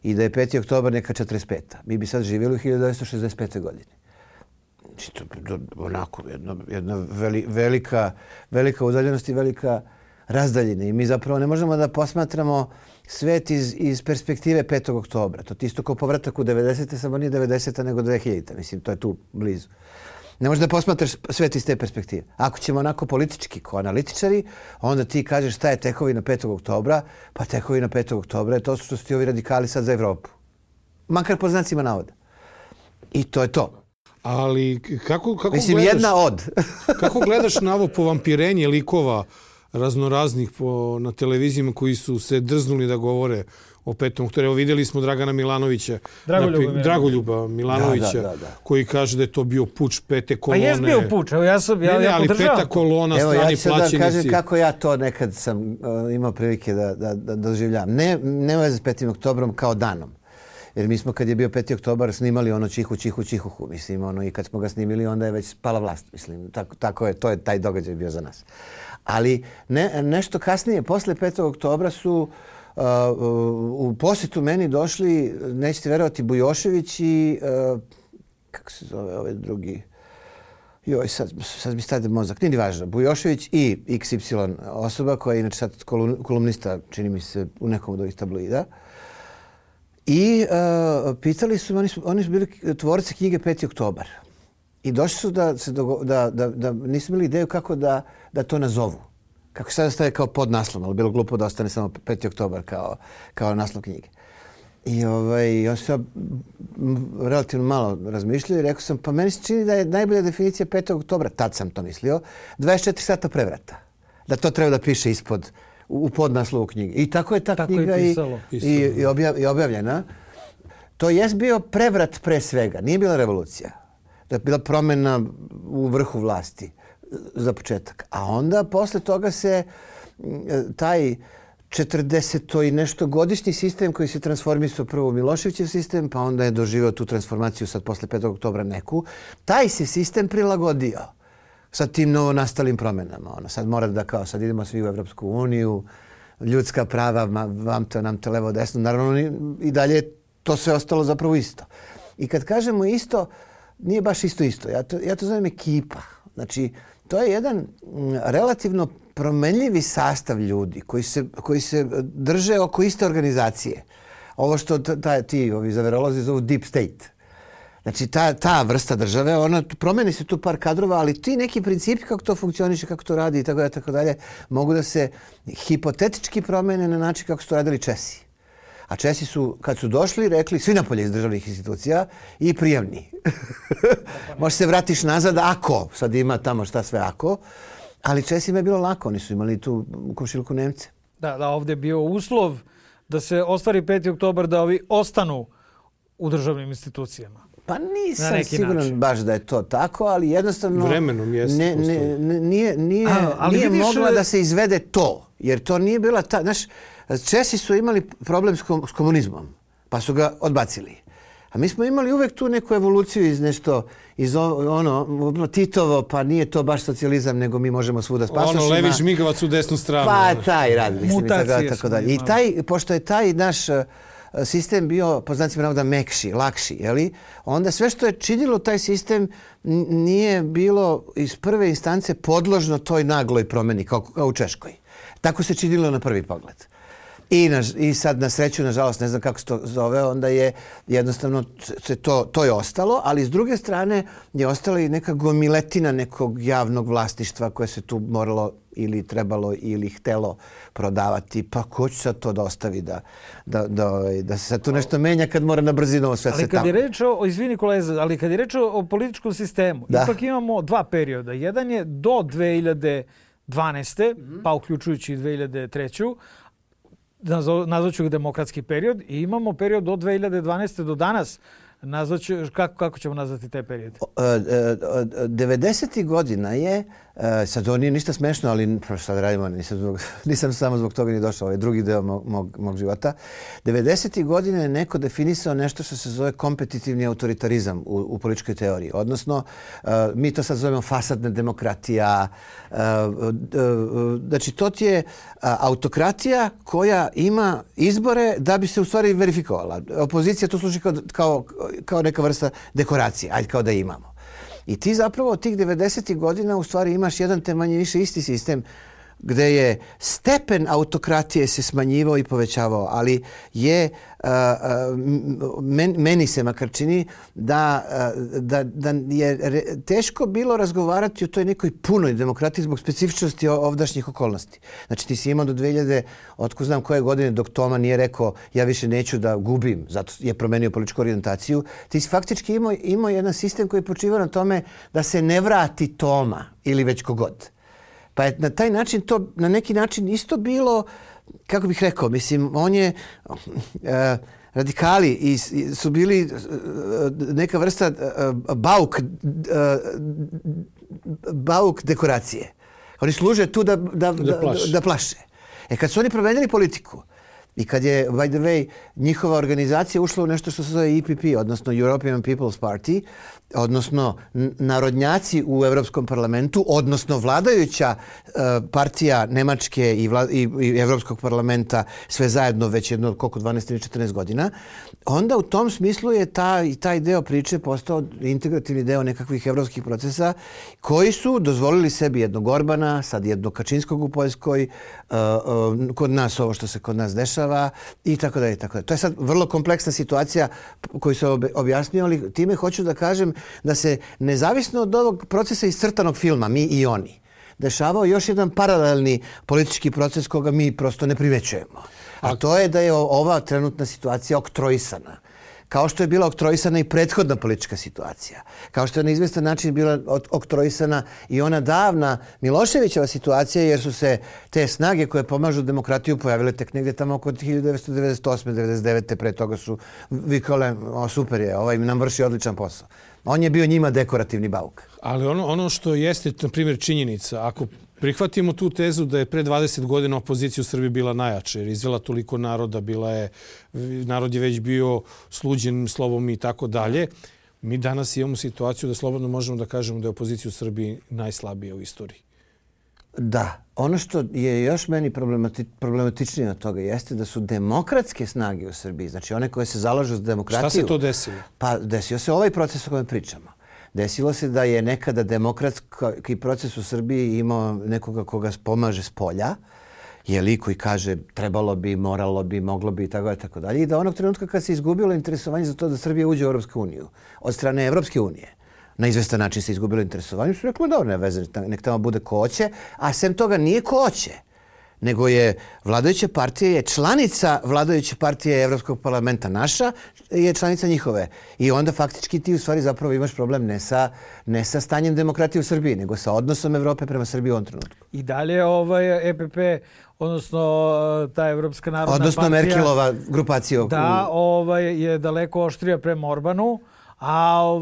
i da je 5. oktobar neka 45. Mi bi sad živjeli u 1965. godine. Znači, to onako, jedna velika udaljenost i velika razdaljine. I mi zapravo ne možemo da posmatramo svet iz perspektive 5. oktobra. To je isto kao povratak u 90. samo nije 90. nego 2000. Mislim, to je tu blizu. Ne možeš da posmatraš svet iz te perspektive. Ako ćemo onako politički, kao analitičari, onda ti kažeš šta je tekovina 5. oktobra, pa tekovina 5. oktobra je to što su ti ovi radikali sad za Evropu. Makar po znacima navoda. I to je to. Ali kako mislim, gledaš... jedna od. Kako gledaš na ovo povampirenje likova raznoraznih na televizijama koji su se drznuli da govore o 5. oktobru? Evo vidjeli smo Dragana Milanovića, Dragoljuba Milanovića, koji kaže da je to bio puč 5. kolone. Pa jes bio puč, evo ja podržavam. Ali 5. kolona, strani plaćenici. Evo ja ću da kažem kako ja to nekad sam imao prilike da doživljavam. Ne veze s 5. oktobrom kao danom. Jer mi smo kad je bio 5. oktobar snimali ono čihu, mislim, ono, i kad smo ga snimili onda je već spala vlast, mislim, tako je, to je taj događaj bio za nas. Ali nešto kasnije, posle 5. oktobra su u posjetu meni došli, nećete verovati, Bujošević i, kako se zove ovaj drugi, joj, sad mi stade mozak, nije važno, Bujošević i XY osoba koja je inače sad kolumnista, čini mi se, u nekom od ovih tabloida. I pitali su, oni su bili tvorci knjige 5. oktobar. I došli su da nisu imali ideju kako da to nazovu. Kako sada staje kao podnaslov, ali bilo glupo da ostane samo 5. oktobar kao naslov knjige. I on se relativno malo razmišljao i rekao sam, pa meni se čini da je najbolja definicija 5. oktobra, tad sam to mislio, 24 sata prevrata. Da to treba da piše ispod u podnaslovu knjige. I tako je ta knjiga i objavljena. To jest bio prevrat pre svega. Nije bila revolucija. To je bila promjena u vrhu vlasti za početak. A onda posle toga se taj 40 i nešto godišnji sistem koji se transformisao prvo u Miloševićev sistem, pa onda je doživio tu transformaciju sad posle 5. oktobra neku. Taj se sistem prilagodio sa tim novonastalim promjenama. Sad mora da sad idemo svi u Evropsku uniju, ljudska prava, nam te levo desno. Naravno i dalje to sve ostalo zapravo isto. I kad kažemo isto, nije baš isto. Ja to zovem ekipa. Znači, to je jedan relativno promenljivi sastav ljudi koji se drže oko iste organizacije. Ovo što ti zaverolozi zovu deep state. Znači, ta vrsta države, promeni se tu par kadrova, ali ti neki principi kako to funkcioniše, kako to radi i tako dalje, mogu da se hipotetički promene na način kako su to radili Česi. A Česi su, kad su došli, rekli svi napolje iz državnih institucija i prijemni. Možeš se vratiš nazad ako, sad ima tamo šta sve ako, ali Česima je bilo lako, oni su imali tu u komšiluku Nemce. Da, ovdje je bio uslov da se ostvari 5. oktobar, da ovi ostanu u državnim institucijama. Pa nisam siguran baš da je to tako, ali jednostavno vremenom jeste nije mogla da se izvede to. Jer to nije bila ta... Znaš, Česi su imali problem s komunizmom, pa su ga odbacili. A mi smo imali uvek tu neku evoluciju iz Titovo, pa nije to baš socijalizam, nego mi možemo svuda s pasošima. Levi žmigavac u desnu stranu. Pa taj rad, mislim, tako dalje. I pošto je taj naš sistem bio, po znacima navoda, mekši, lakši, onda sve što je činilo taj sistem nije bilo iz prve instance podložno toj nagloj promjeni, kao u Češkoj. Tako se činilo na prvi pogled. I sad na sreću, nažalost, ne znam kako se to zove, onda je jednostavno to je ostalo, ali s druge strane je ostala i neka gomiletina nekog javnog vlasništva koje se tu moralo ili trebalo ili htelo prodavati. Pa ko će sad to da ostavi da se sad tu nešto menja kad mora na brzinu sve se tamo. Ali kad je reč izvini kolega, ali kad je reč o političkom sistemu, ipak imamo dva perioda. Jedan je do 2012. Pa uključujući 2003. Nazvaću ga demokratski period i imamo period od 2012. do danas. Kako ćemo nazvati taj period? 90. godina je, sad ovo nije ništa smešno, ali sad radimo, nisam samo zbog toga ni došao, ovaj drugi deo mog života. 90. godine je neko definisao nešto što se zove kompetitivni autoritarizam u političkoj teoriji. Odnosno, mi to sad zovemo fasadna demokratija. Znači, to ti je autokratija koja ima izbore da bi se u stvari verifikovala. Opozicija to služi kao neka vrsta dekoracije, ajde kao da imamo. I ti zapravo od tih 90. godina u stvari imaš jedan te manje više isti sistem gde je stepen autokratije se smanjivao i povećavao, ali je meni se makar čini da je teško bilo razgovarati o toj nekoj punoj demokratiji zbog specifičnosti ovdašnjih okolnosti. Znači ti si imao do 2000, otko znam koje godine, dok Toma nije rekao ja više neću da gubim, zato je promenio političku orijentaciju, ti si faktički imao jedan sistem koji počiva na tome da se ne vrati Toma ili već kogod. Pa je na taj način to na neki način isto bilo, kako bih rekao, mislim, on je, radikali su bili neka vrsta bauk dekoracije. Oni služe tu da plaše. Kad su oni promenili politiku i kad je, by the way, njihova organizacija ušla u nešto što se zove EPP, odnosno European People's Party, odnosno narodnjaci u Evropskom parlamentu, odnosno vladajuća partija Nemačke i Evropskog parlamenta, sve zajedno već jedno, koliko, 12 ili 14 godina, onda u tom smislu je taj deo priče postao integrativni deo nekakvih evropskih procesa koji su dozvolili sebi jednog Orbana, sad jednog Kačinskog u Poljskoj, kod nas ovo što se kod nas dešava i tako dalje. To je sad vrlo kompleksna situacija koju sam objasnio, ali time hoću da kažem da se nezavisno od ovog procesa iscrtanog filma, mi i oni, dešavao još jedan paralelni politički proces koga mi prosto ne primećujemo. A to je da je ova trenutna situacija oktroisana. Kao što je bila oktroisana i prethodna politička situacija. Kao što je na izvestan način bila oktroisana i ona davna Miloševićeva situacija, jer su se te snage koje pomažu demokratiju pojavile tek negdje tamo oko 1998. 1999. Pre toga su vikale, super je, ovaj nam vrši odličan posao. On je bio njima dekorativni bauk. Ali ono što jeste, na primjer, činjenica, ako prihvatimo tu tezu da je pre 20 godina opozicija u Srbiji bila najjača, jer izvela toliko naroda, narod je već bio sluđen slovom i tako dalje, mi danas imamo situaciju da slobodno možemo da kažemo da je opozicija u Srbiji najslabija u istoriji. Da. Ono što je još meni problematičnije od toga jeste da su demokratske snage u Srbiji, znači one koje se zalažu za demokratiju... Šta se to desilo? Pa desio se ovaj proces o kojem pričamo. Desilo se da je nekada demokratski proces u Srbiji imao nekoga koga pomaže s polja, koji kaže trebalo bi, moralo bi, moglo bi i tako dalje. I da onog trenutka kad se izgubilo interesovanje za to da Srbija uđe u Europsku uniju od strane Evropske unije, na izvestan način se izgubilo interesovanje, su rekli dobro, ne veze, nek tamo bude ko hoće, a sem toga nije ko hoće, nego je vladajuća partija, je članica vladajuće partije Evropskog parlamenta naša, je članica njihove. I onda faktički ti u stvari zapravo imaš problem ne sa stanjem demokratije u Srbiji, nego sa odnosom Evrope prema Srbiji u ovom trenutku. I dalje EPP, odnosno ta Evropska narodna partija... Odnosno Merkelova grupacija. Da, je daleko oštrija prema Orbanu, a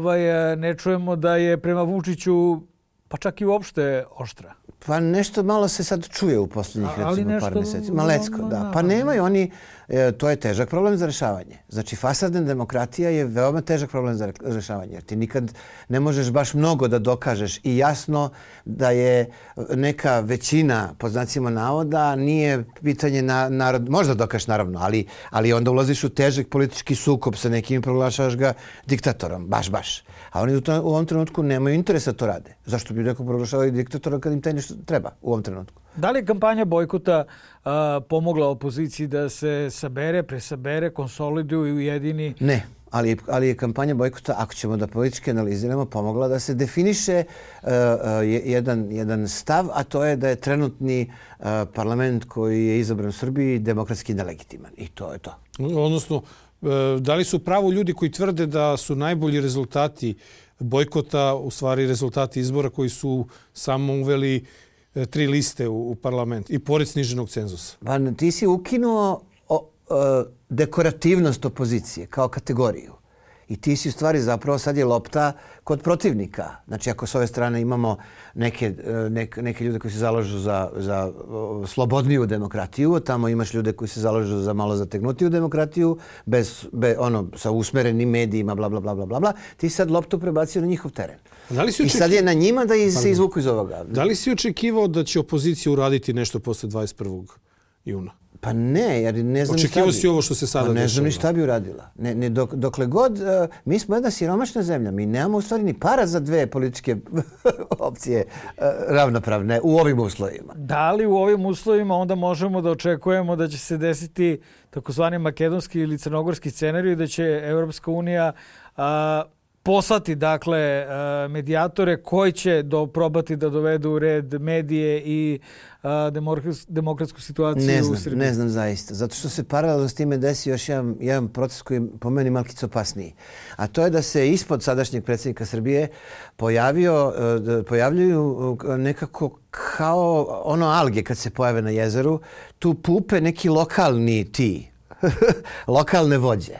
ne čujemo da je prema Vučiću pa čak i uopšte oštra. Pa nešto malo se sad čuje u posljednjih recimo par mjeseci. Malecko, da. Pa nemaju oni, to je težak problem za rešavanje. Znači fasadna demokratija je veoma težak problem za rešavanje. Jer ti nikad ne možeš baš mnogo da dokažeš i jasno da je neka većina, po znacima navoda, nije pitanje narod, možda dokažeš naravno, ali onda ulaziš u težak politički sukob sa nekim i proglašavaš ga diktatorom, baš. A oni u ovom trenutku nemaju interesa to rade. Zašto bi neko proglašavao diktatora kad im taj nešto treba u ovom trenutku? Da li je kampanja bojkota pomogla opoziciji da se presabere, konsoliduje i ujedini? Ne, ali je kampanja bojkota, ako ćemo da politički analiziramo, pomogla da se definiše jedan stav, a to je da je trenutni parlament koji je izabran u Srbiji demokratski nelegitiman. I to je to. Odnosno, da li su pravo ljudi koji tvrde da su najbolji rezultati bojkota u stvari rezultati izbora koji su samo uveli 3 liste u parlament i pored sniženog cenzusa? Pa ti si ukinuo dekorativnost opozicije kao kategoriju. I ti si u stvari zapravo sad je lopta kod protivnika. Znači ako s ove strane imamo neke ljude koji se zalažu za slobodniju demokratiju, tamo imaš ljude koji se zalažu za malo zategnutiju demokratiju, sa usmerenim medijima, bla, bla, bla, bla, bla. Ti sad loptu prebacio na njihov teren. I sad je na njima da se izvuku iz ovoga. Da li si očekivao da će opozicija uraditi nešto posle 21. juna? Pa ne, jer ne znam Očekivao si ovo što se sada dešava. Ne znam ni šta bi uradila. Dokle god, mi smo jedna siromašna zemlja, mi nemamo u stvari ni para za dve političke opcije ravnopravne u ovim uslovima. Da li u ovim uslovima onda možemo da očekujemo da će se desiti takozvani makedonski ili crnogorski scenarij, da će Evropska unija poslati dakle medijatore koji će probati da dovedu u red medije i demokratsku situaciju u Srbiji? Ne znam zaista. Zato što se paralelno s time desi još jedan proces koji po meni malkice opasniji. A to je da se ispod sadašnjeg predsjednika Srbije pojavljuju nekako kao ono alge kad se pojave na jezeru. Tu pupe neki lokalni lokalne vođe.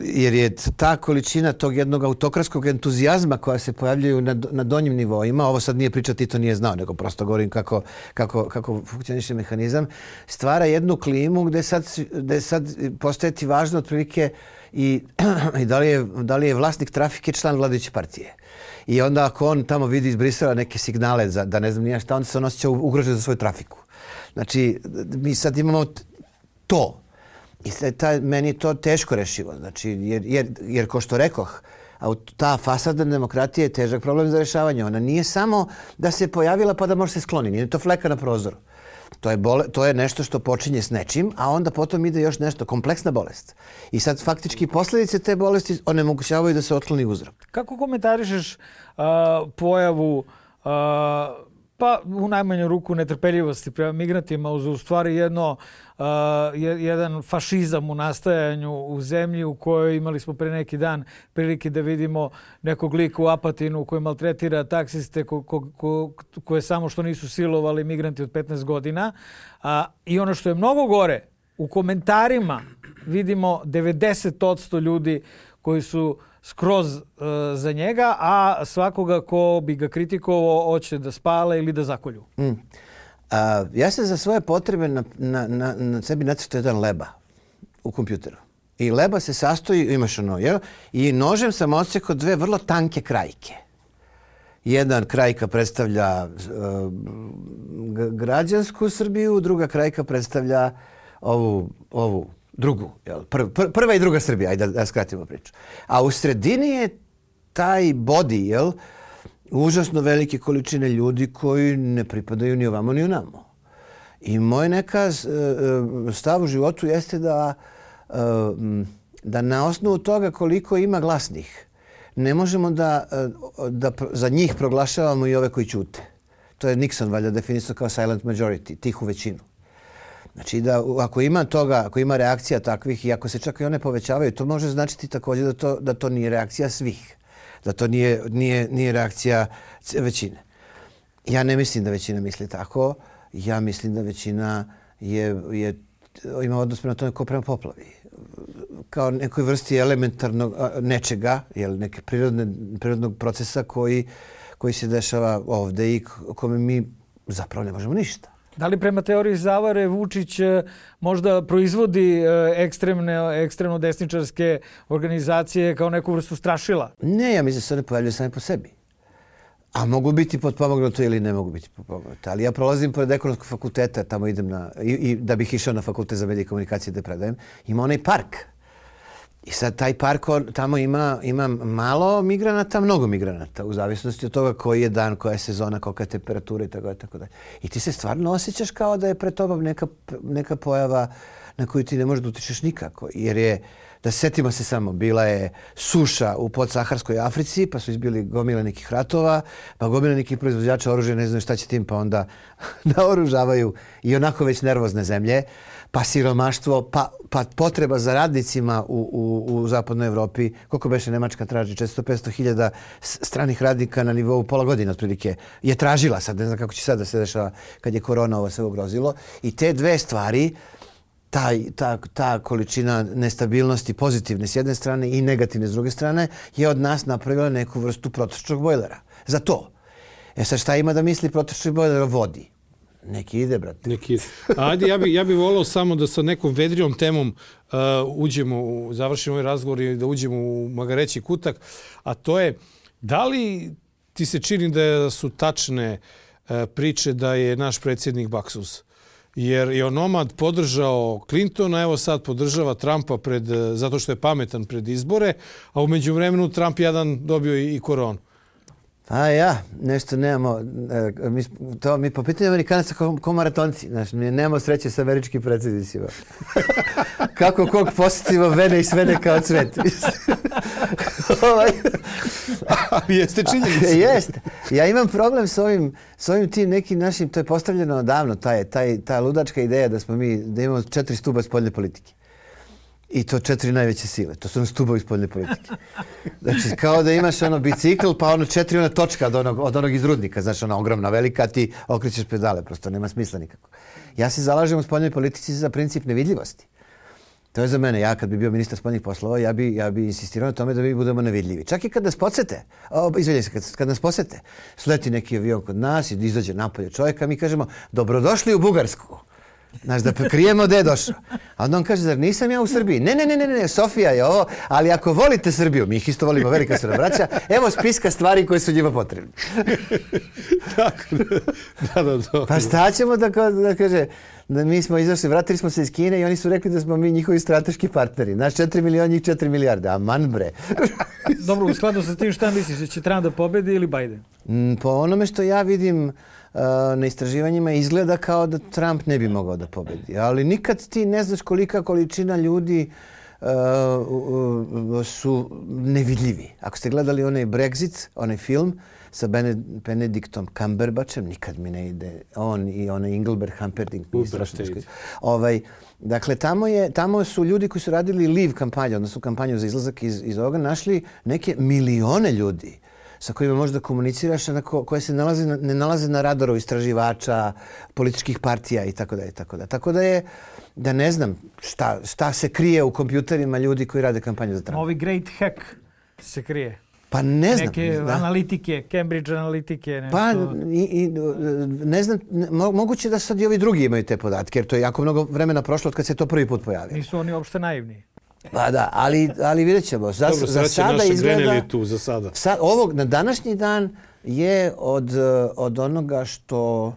Jer je ta količina tog jednog autokratskog entuzijazma koja se pojavljaju na donjim nivoima, ovo sad nije priča Tito nije znao, nego prosto govorim kako funkcioniše mehanizam, stvara jednu klimu gde sad postaje ti važno otprilike i da li je vlasnik trafike član vladajuće partije. I onda ako on tamo vidi iz Brisela neke signale da ne znam nije šta, onda se on osjeća ugrožen za svoju trafiku. Znači, mi sad imamo to. I meni je to teško rešivo. Znači, jer ko što rekoh, ta fasadna demokratija je težak problem za rešavanje. Ona nije samo da se pojavila pa da može se skloni. Nije to fleka na prozoru. To je nešto što počinje s nečim, a onda potom ide još nešto, kompleksna bolest. I sad faktički posljedice te bolesti onemogućavaju da se otkloni uzrok. Kako komentarišeš pojavu pa u najmanju ruku netrpeljivosti prema migrantima uz u stvari jedan fašizam u nastajanju u zemlji u kojoj imali smo pre neki dan prilike da vidimo nekog lika u Apatinu koji maltretira taksiste koje samo što nisu silovali migranti od 15 godina. I ono što je mnogo gore, u komentarima vidimo 90% ljudi koji su skroz za njega, a svakoga ko bi ga kritikovao hoće da spale ili da zakolju. Ja sam za svoje potrebe na sebi nacrtao jedan leba u kompjuteru. I leba se sastoji, imaš ono, jel? I nožem sam odsekao dve vrlo tanke krajke. Jedan krajka predstavlja građansku Srbiju, druga krajka predstavlja ovu drugu, jel? Prva i druga Srbija, ajde da skratimo priču. A u sredini je taj body, jel? Užasno velike količine ljudi koji ne pripadaju ni ovamo ni onamo. I moj neka stav u životu jeste da na osnovu toga koliko ima glasnih, ne možemo da za njih proglašavamo i ove koji ćute. To je Nixon valjda definisao kao silent majority, tihu većinu. Znači da ako ima toga, ako ima reakcija takvih i ako se čak i one povećavaju, to može značiti također da to nije reakcija svih. Da to nije reakcija većine. Ja ne mislim da većina misli tako. Ja mislim da većina ima odnos prema tome kao prema poplavi. Kao nekoj vrsti elementarnog nečega, neke prirodnog procesa koji se dešava ovdje i kome mi zapravo ne možemo ništa. Da li prema teoriji zavare Vučić možda proizvodi ekstremno desničarske organizacije kao neku vrstu strašila? Ne, ja mislim da se one pojavljaju same po sebi. A mogu biti potpomognuto ili ne mogu biti potpomognuto. Ali ja prolazim pored ekonomskog fakulteta, tamo idem i da bih išao na fakultet za medije i komunikacije da predajem, ima onaj park. I sad taj park, tamo ima malo migranata, mnogo migranata, u zavisnosti od toga koji je dan, koja je sezona, kolika je temperatura i tako dalje. I ti se stvarno osjećaš kao da je pred tobom neka pojava na koju ti ne možeš da utičeš nikako. Jer je, da setimo se samo, bila je suša u podsaharskoj Africi, pa su izbili gomile nekih ratova, pa gomile nekih proizvođača oružja, ne znaju šta će tim, pa onda naoružavaju i onako već nervozne zemlje, pa siromaštvo, pa potreba za radnicima u zapadnoj Evropi. Koliko beše Nemačka traži? 400-500 hiljada stranih radnika na nivou pola godine otprilike je tražila. Sad ne znam kako će sad da se dešava kad je korona ovo sve ugrozilo. I te dve stvari, ta količina nestabilnosti pozitivne s jedne strane i negativne s druge strane je od nas napravila neku vrstu protočnog bojlera. Za to. Sad šta ima da misli protočnog bojlera o vodi? Neki ide, brate. Ajde, ja bi volao samo da sa nekom vedrijom temom završimo ovaj razgovor i da uđemo u magareći kutak, a to je, da li ti se čini da su tačne priče da je naš predsjednik baksuz? jer je onomad podržao Clintona, evo sad podržava Trumpa zato što je pametan pred izbore, a u međuvremenu Trump jedan dobio i koronu. Nešto nemamo, mi po pitanju Amerikanaca ko maratonci, znači nemamo sreće sa američkim predsjednicima. Kako kog posjetimo vene i svene kao cvet. Ali jeste činjenica. Jeste. Ja imam problem s ovim tim nekim našim, to je postavljeno odavno, ta ludačka ideja da imamo 4 stuba spoljne politike. I to 4 najveće sile. To su stubovi spoljne politike. Znači, kao da imaš bicikl, pa 4 točka od onog iz rudnika. Znači, ogromna, velika, ti okrećeš pedale. Prosto nema smisla nikako. Ja se zalažem u spoljnoj politici za princip nevidljivosti. To je za mene. Ja kad bi bio ministar spoljnih poslova, ja bi insistirao na tome da mi budemo nevidljivi. Čak i kad nas podsete, kad nas posete, sleti neki avion kod nas i izađe napolje čovjeka, mi kažemo, dobrodošli u Bugarsku. Znaš, da krijemo gdje je došao. A onda on kaže, zar nisam ja u Srbiji? Ne, Sofija je ovo, ali ako volite Srbiju, mi ih isto volimo, velika su nam braća, evo spiska stvari koje su njima potrebne. Da. Pa šta ćemo da kaže, da mi smo izašli, vratili smo se iz Kine i oni su rekli da smo mi njihovi strateški partneri. Naš 4 miliona, njih 4 milijarde. Aman bre. Dobro, u skladu sa tim šta misliš, da će Trump da pobedi ili Biden? Po onome što ja vidim na istraživanjima izgleda kao da Trump ne bi mogao da pobedi. Ali nikad ti ne znaš kolika količina ljudi su nevidljivi. Ako ste gledali onaj Brexit, onaj film sa Benedictom Cumberbatchem, nikad mi ne ide on i onaj Engelbert Humperdinck. Dakle, tamo su ljudi koji su radili Leave kampanju, odnosno kampanju za izlazak iz ovoga, našli neke milione ljudi sa kojima možda komuniciraš, koje se ne nalaze na radaru istraživača, političkih partija i tako dalje. Tako da ne znam šta se krije u kompjuterima ljudi koji rade kampanju za Trumpa. Novi Great Hack se krije. Pa ne znam. Neke analitike, Cambridge analitike. Nešto. Pa ne znam, moguće da sad i ovi drugi imaju te podatke, jer to je jako mnogo vremena prošlo od kad se to prvi put pojavio. Nisu oni uopšte naivni. Pa da, ali vidjet ćemo. Za sada izgleda... Tu za sada. Na današnji dan je od onoga što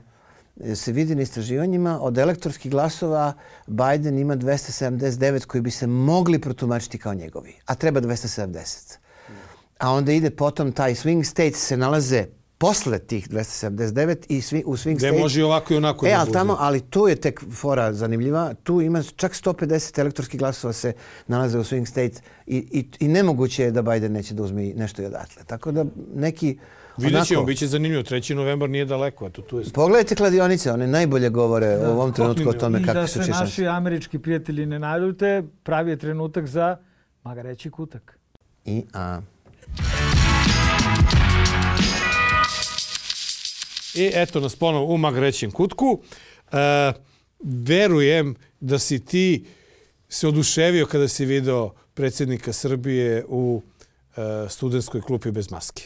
se vidi na istraživanjima, od elektorskih glasova Biden ima 279 koji bi se mogli protumačiti kao njegovi, a treba 270. A onda ide potom taj swing states se nalaze posle tih 279 i u swing states... Gde može ovako i onako da bude. Ali tu je tek fora zanimljiva. Tu ima čak 150 elektorskih glasova se nalaze u swing states i nemoguće je da Biden neće da uzme nešto i odatle. Tako da neki... Vidjet ćemo, bit će zanimljivo. 3. novembar nije daleko. Pogledajte kladionice, one najbolje govore u ovom trenutku o tome kako su češće. I da se naši američki prijatelji ne naljute, pravi je trenutak za magareći kutak. I eto nas ponovo u magarećem kutku. Verujem da si ti se oduševio kada si video predsjednika Srbije u studentskoj klupi bez maske.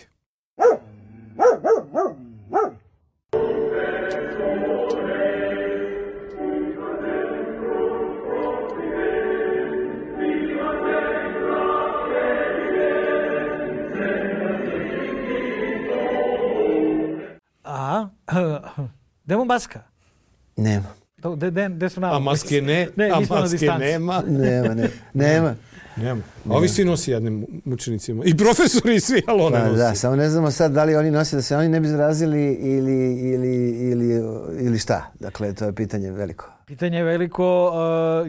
Nema. maska? Nema. Gde su nama? A maske ne? A maske nema? Nema. Ovi svi nosi jednim mučenicima. I profesori i svi, ali one nosi. Da, samo ne znamo sad da li oni nose da se oni ne bi zarazili ili šta. Dakle, to je pitanje veliko. Pitanje je veliko.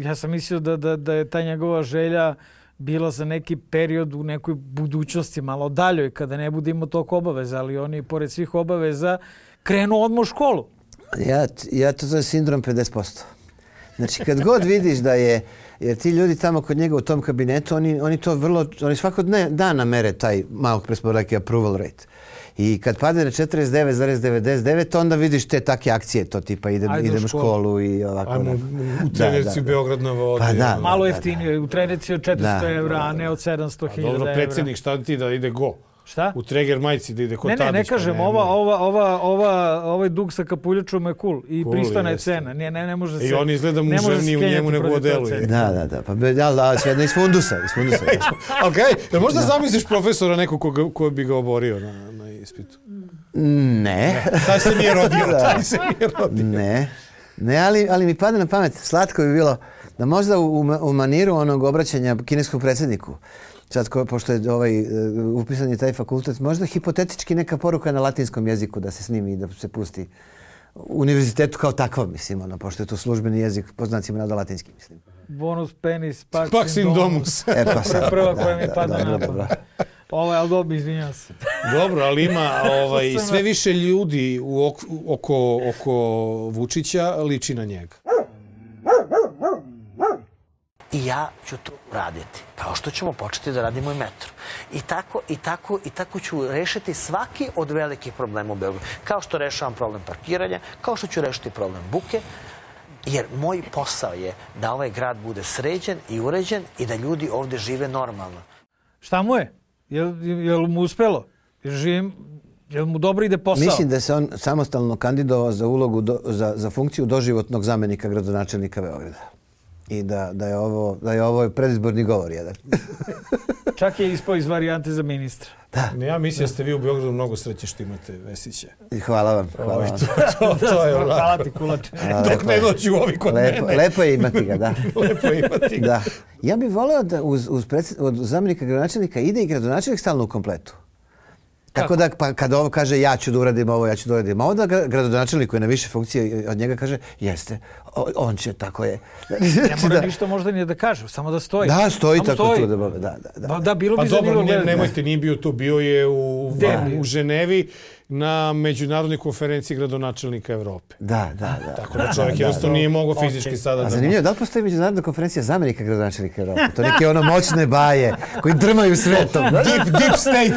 Ja sam mislio da je ta njegova želja bila za neki period u nekoj budućnosti, malo daljoj, kada ne bude imao toliko obaveza, ali oni, pored svih obaveza, krenu odmah u školu. Ja to zove sindrom 50%. Znači, kad god vidiš da je, jer ti ljudi tamo kod njega u tom kabinetu, oni svakog dana mere taj malo presporaki approval rate. I kad padne na 49,99, onda vidiš te take akcije, to tipa idem u školu i ovako. Ajmo u trenerici Beograd na vodi. Malo jeftinije, u trenerici od 400 evra, a ne od 700.000 evra. Dobro, predsjednik, šta ti da ide go? Šta? U Treger majici da ide kod Tadić. Ne kažem, ovaj dug sa kapuljačom je cool i pristana je cena. Ne može se... I on izgleda muževniji u njemu nego u delu. Da. Pa sve iz fundusa. Okej, možda zamisliš profesora nekog ko bi ga oborio na ispitu? Ne. Taj se nije rodio. Ne. Ne, ali mi pada na pamet, slatko bi bilo da možda u maniru onog obraćanja kineskkom predsjedniku, sad pošto je upisan je taj fakultet, možda hipotetički neka poruka na latinskom jeziku da se snimi i da se pusti u univerzitetu kao takva, mislim, pošto je to službeni jezik, po znacima navoda latinski, mislim. Bonus penis, pax in domus. Pa sad. Prva koja mi pada na pamet. Ali dobro, izvinjam se. Dobro, ali ima sve više ljudi oko Vučića liči na njega. I ja ću to raditi. Kao što ćemo početi da radimo i metro. I tako ću rešiti svaki od velikih problema u Beogradu. Kao što rešavam problem parkiranja, kao što ću rešiti problem buke, jer moj posao je da ovaj grad bude sređen i uređen i da ljudi ovde žive normalno. Šta mu je? Jel mu uspelo? Jel mu dobro ide posao? Mislim da se on samostalno kandidovao za ulogu, za funkciju doživotnog zamenika gradonačelnika Beograda. I da je ovo predizborni govor jedan. Čak je ispao iz varijante za ministra. Da. Ja mislim da ste vi u Beogradu mnogo sreće što imate Vesića. Hvala vam. To je hvala ti, kulače. Dok ne dođu ovi kod mene. Lepo je imati ga, da. Lepo je imati ga. Da. Ja bih voleo da od zamenika gradonačelnika ide i gradonačelnik stalno u kompletu. Tako da kad ovo kaže ja ću da uradim ovo, ja ću da uradim ovo, da gradonačelnik koji je na više funkcije od njega kaže jeste, on će, tako je. Ne mora ništa možda ni da kaže, samo da stoji. Da, stoji tako tu. Da, bilo bi zanimljivo gledati. Nemojte, nije bio tu, bio je u Ženevi na međunarodnoj konferenciji gradonačelnika Evrope. Da. Tako da čovjek jednostavno nije mogao fizički sada da... Zanimljivo, da li postoji međunarodna konferencija zamenika gradonačelnika Evrope? To neke moćne baje koji drmaju svetom. Deep state.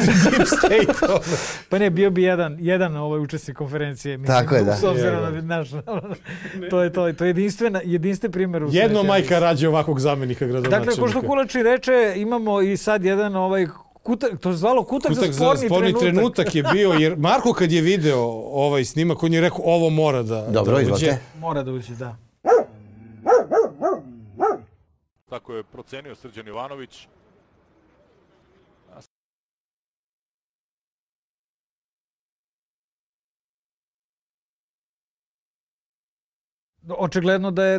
Pa ne, bio bi jedan učesnik konferencije. Tako je, da. S obzirom na naš... To je jedinstven primjer u svetu. Jedno majka rađe ovakvog zamenika gradonačelnika. Dakle, ko što Kulači reče, imamo i sad jedan to je zvalo kutak za sporni trenutak je bio, jer Marko kad je video ovaj snimak, on je rekao ovo mora da uđe. Mora da uđe, da. Tako je procenio Srđan Jovanović. Očigledno da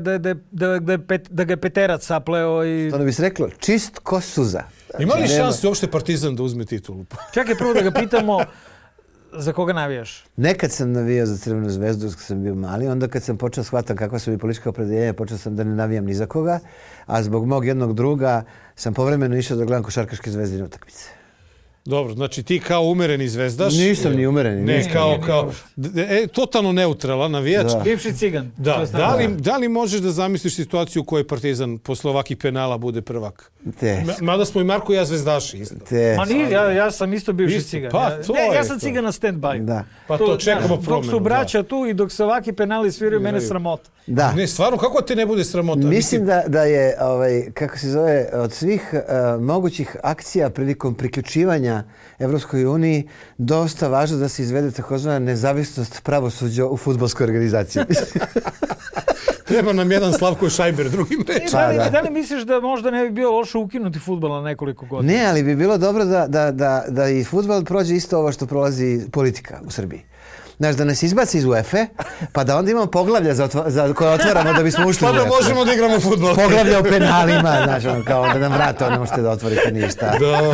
ga je Peterac sapleo i... To ne bi se reklo, čist ko suza. Ima li šanse uopšte Partizan da uzme titulu? Čekaj prvo da ga pitamo za koga navijaš? Nekad sam navijao za Crvenu zvezdu kad sam bio mali, onda kad sam počeo shvatam kakva su mi politička opredeljenja, počeo sam da ne navijam ni za koga, a zbog mog jednog druga sam povremeno išao da gledam košarkaške Zvezdine utakmice. Dobro, znači ti kao umereni zvezdaš... Nisam ni umereni. Ne, kao totalno neutralan navijač. Bivši cigan. Da li možeš da zamisliš situaciju u kojoj Partizan posle ovakih penala bude prvak? Mada smo i Marko i ja zvezdaši isto. Ma nije, ja sam isto bivši cigan. Ja sam cigan na stand-by. Pa to čekamo promenu. Dok su braća tu i dok se ovaki penali sviraju, mene sramota. Da. Ne, stvarno, kako te ne bude sramota? Mislim da je, kako se zove, od svih mogućih akcija prilikom priključivanja Evropskoj uniji dosta važno da se izvede takozvana nezavisnost pravosuđa u fudbalskoj organizaciji. Treba nam jedan Slavko Šajber, drugi meč. Da li misliš da možda ne bi bilo loše ukinuti fudbal na nekoliko godina? Ne, ali bi bilo dobro da i fudbal prođe isto ovo što prolazi politika u Srbiji. Znaš, da nas izbaci iz UEFA, pa da onda imamo poglavlja koje otvaramo da bismo ušli u UEFA. Pa da možemo da igramo fudbal. Poglavlja o penalima, znaš, kao da nam vrate, ne možete da otvorite ništa. Da.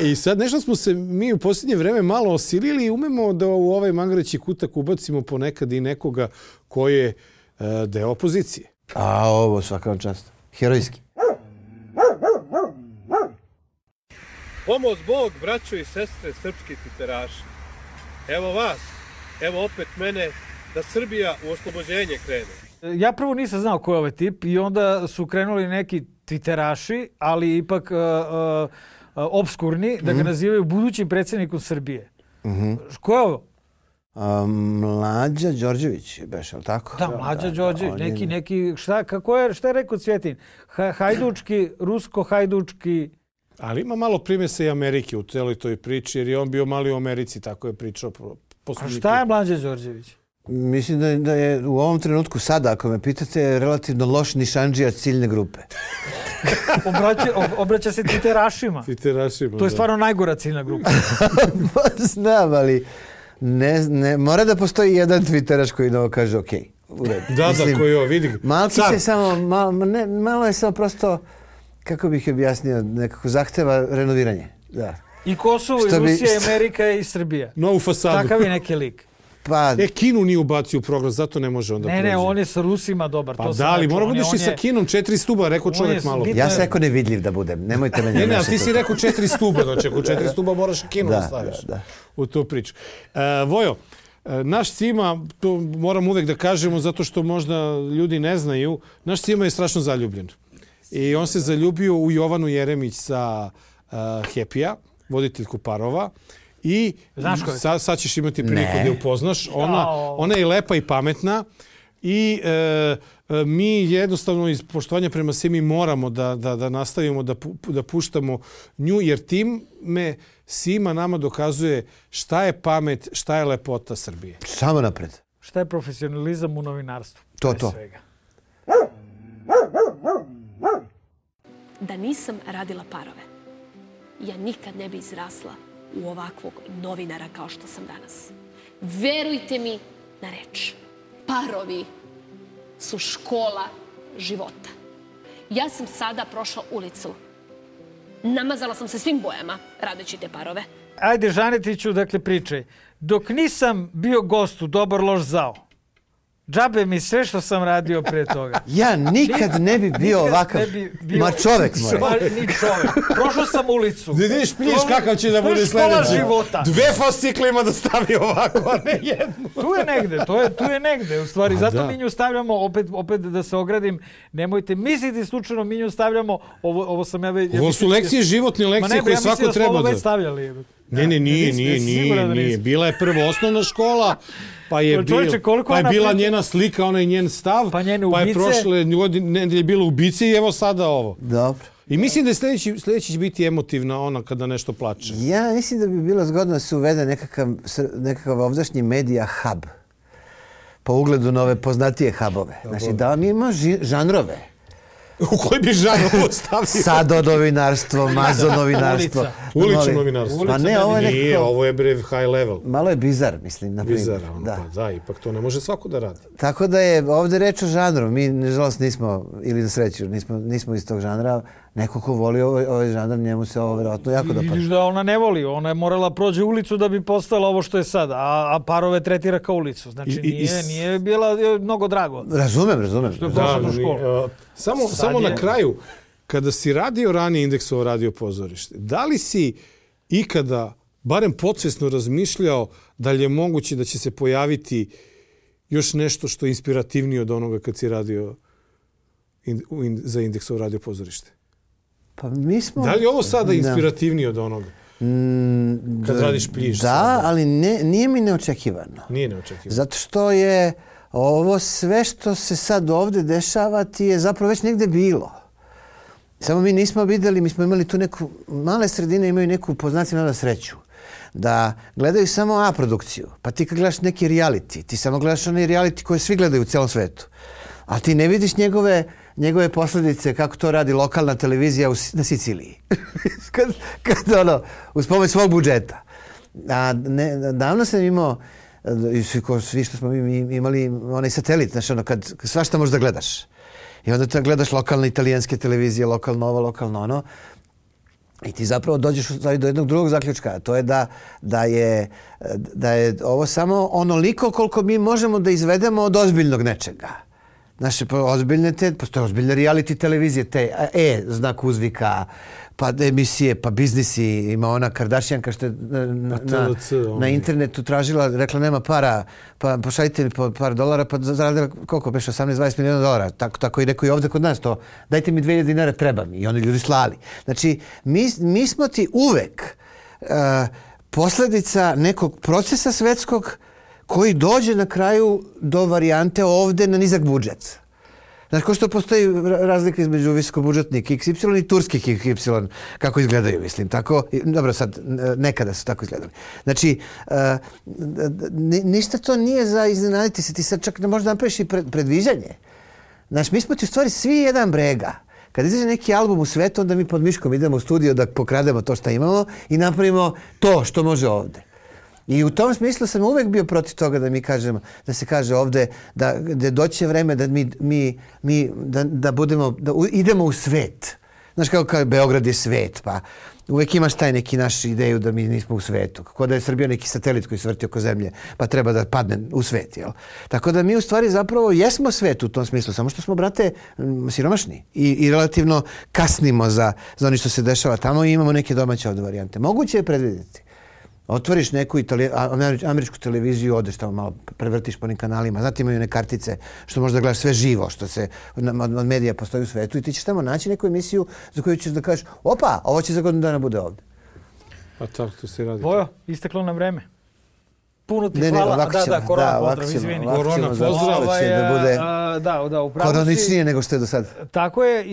I sad nešto smo se mi u posljednje vreme malo osilili i umemo da u ovaj mangareći kutak ubacimo ponekad i nekoga koji je deo opozicije. A ovo svaka vam čast. Herojski. Pomoz Bog, braćo i sestre, srpski titeraši. Evo vas, evo opet mene, da Srbija u oslobođenje krene. Ja prvo nisam znao ko je ovaj tip i onda su krenuli neki twitteraši, ali ipak obskurni, da ga nazivaju budućim predsjednikom Srbije. Ko je ovo? Mlađa Đorđević je beš, ali tako? Da, Mlađa Đorđević, neki, šta je rekao Cvjetin? Hajdučki, rusko-hajdučki... Ali ima malo primjesa i Amerike u celoj toj priči, jer je on bio mali u Americi, tako je pričao. A šta je Mlađa Đorđević? Mislim da je u ovom trenutku sada, ako me pitate, relativno loš nišandžija ciljne grupe. Obraća se titerašima. To je stvarno najgora ciljna grupa. Znam, ali ne, mora da postoji jedan twitteraš koji kaže ok, u redu. Da, koji ovo, vidi. Malkić je samo, malo je samo prosto, kako bih objasnio, nekako zahteva renoviranje. Da. I Kosovo, i Rusija, i Amerika, i Srbija. Novu fasadu. Takav je neki lik. Pa, Kinu nije ubacio u program, zato ne može onda prođe. Ne, on je sa Rusima dobar. Pa da, ali mora budeš i sa Kinom, 4 stuba, rekao čovjek malo. Ja sam rekao nevidljiv da budem, nemojte me Ne, ali ti si rekao 4 stuba, znači ako 4 stuba moraš i Kinu da staviš u tu priču. Vojo, naš Cima, to moram uvek da kažemo zato što možda ljudi ne znaju, naš Cima je strašno zaljubljen. I on se zaljubio u Jovanu Jeremić sa Happy-a, voditeljku parova. I sad ćeš imati priliku da je upoznaš. Ona je lepa i pametna i mi jednostavno iz poštovanja prema Simi moramo da nastavimo da puštamo nju, jer time Sima nama dokazuje šta je pamet, šta je lepota Srbije. Samo napred. Šta je profesionalizam u novinarstvu? To. Da nisam radila parove, ja nikad ne bi izrasla u ovakvog novinara kao što sam danas. Verujte mi na reč. Parovi su škola života. Ja sam sada prošla ulicu. Namazala sam se svim bojama radeći te parove. Ajde, Žanetiću, dakle, pričaj. Dok nisam bio gost u Dobar, loš, zao, džabe mi sve što sam radio pre toga. Ja nikad ne bi bio ovakav. Ma čovek mora. Ni čovek. Prošao sam ulicu. Da vidiš pliješ kakav će da bude sljedeći. 2 fascikle ima da stavi ovako, a ne jednu. Tu je negde. U stvari, zato mi nju stavljamo, opet da se ogradim, nemojte misliti slučajno mi nju stavljamo, ovo sam ja već... Ovo su lekcije, životne lekcije koje svako treba da... Ma ne, ja mislim da smo ovo već stavljali. Ne, nije. Bila je prvo osnovna škola, pa je bila njena slika, onaj njen stav, pa je prošle nedelje je bila ubice i evo sada ovo. Dobro. I mislim da je sljedeći će biti emotivna ona kada nešto plače. Ja mislim da bi bilo zgodno da se uvede nekakav ovdašnji medija hub. Po ugledu na ove poznatije hubove. Znači da on ima žanrove. U koji bi žanr ovo stavio? Sado novinarstvo, mazo novinarstvo. Ulično novinarstvo. Pa ne, ovo je nekako... Nije, ovo je high level. Malo je bizar, mislim, na primjer. Bizar, da, ipak to ne može svako da radi. Tako da je ovdje reč o žanru. Mi, nažalost, nismo, ili na sreću, nismo iz tog žanra. Neko ko voli ovaj žanr, njemu se ovo vjerojatno jako dopada. Vidiš da ona ne voli. Ona je morala prođe ulicu da bi postala ovo što je sada. A parove tretira kao ulicu. Znači, nije bila mnogo drago. Razumem. Što je prošla do školu. Samo na kraju, kada si radio ranije Indeksovo radio pozorište, da li si ikada, barem podsvesno razmišljao da li je moguće da će se pojaviti još nešto što je inspirativnije od onoga kad si radio za Indeksovo radio pozorište? Pa mi smo... Da li je ovo sada inspirativnije od onoga? Kad radiš Pliš? Da, ali nije mi neočekivano. Nije neočekivano. Zato što je ovo sve što se sad ovdje dešava ti je zapravo već negdje bilo. Samo mi nismo vidjeli, mi smo imali tu neku, male sredine imaju neku poznaciju sreću. Da gledaju samo A produkciju. Pa ti kad gledaš neki reality, ti samo gledaš onaj reality koje svi gledaju u cijelom svetu. A ti ne vidiš njegove posljedice kako to radi lokalna televizija na Siciliji. kad uz pomoć svog budžeta. A davno sam imao, svi što smo mi imali onaj satelit, znaš, kad svašta možeš da gledaš. I onda gledaš lokalne italijanske televizije, lokalno ovo, lokalno ono. I ti zapravo dođeš do jednog drugog zaključka, a to je da je ovo samo onoliko koliko mi možemo da izvedemo od ozbiljnog nečega. Naše ozbiljne postoje ozbiljne reality televizije, znak uzvika, pa emisije, pa biznisi, ima ona Kardashianka što je na internetu tražila, rekla nema para, pa pošaljite mi par dolara, pa zaradila koliko, beš 18-20 miliona dolara, tako i neko i ovdje kod nas to, dajte mi 2000 dinara, treba mi, i oni ljudi slali. Znači, mi smo ti uvek posljedica nekog procesa svetskog koji dođe na kraju do varijante ovdje na nizak budžet. Znači, ko što postoji razlika između visokobudžetnih XY i turskih XY, kako izgledaju, mislim. Tako, dobro, sad, nekada su tako izgledali. Znači, ništa to nije za iznenaditi se. Ti sad čak ne možeš da napraviš i predviđanje. Znači, mi smo ti u stvari svi jedan brega. Kad izađe neki album u svetu, onda mi pod miškom idemo u studio da pokrademo to što imamo i napravimo to što može ovdje. I u tom smislu sam uvek bio protiv toga da mi kažemo, da se kaže ovde da doće vreme da da idemo u svet. Znaš kako Beograd je svet, pa uvek imaš taj neki naš ideju da mi nismo u svetu. Kako da je Srbija neki satelit koji se vrti oko zemlje, pa treba da padne u svet, jel? Tako da mi u stvari zapravo jesmo svet u tom smislu, samo što smo, brate, siromašni i relativno kasnimo za ono što se dešava tamo i imamo neke domaće ovde varijante. Moguće je predvidjeti. Otvoriš neku američku televiziju, odeš tamo malo, prevrtiš po onim kanalima. Znate, imaju one kartice što možda gledaš sve živo, što se od medija postoji u svetu i ti ćeš tamo naći neku emisiju za koju ćeš da kažeš, opa, ovo će za godinu dana bude ovde. A tako to se radi. Vojo, isteklo nam vreme. Puno ti hvala. Korona pozdrav, izvini. Korona pozdrav. Koroničnije nego što je do sada. Tako je,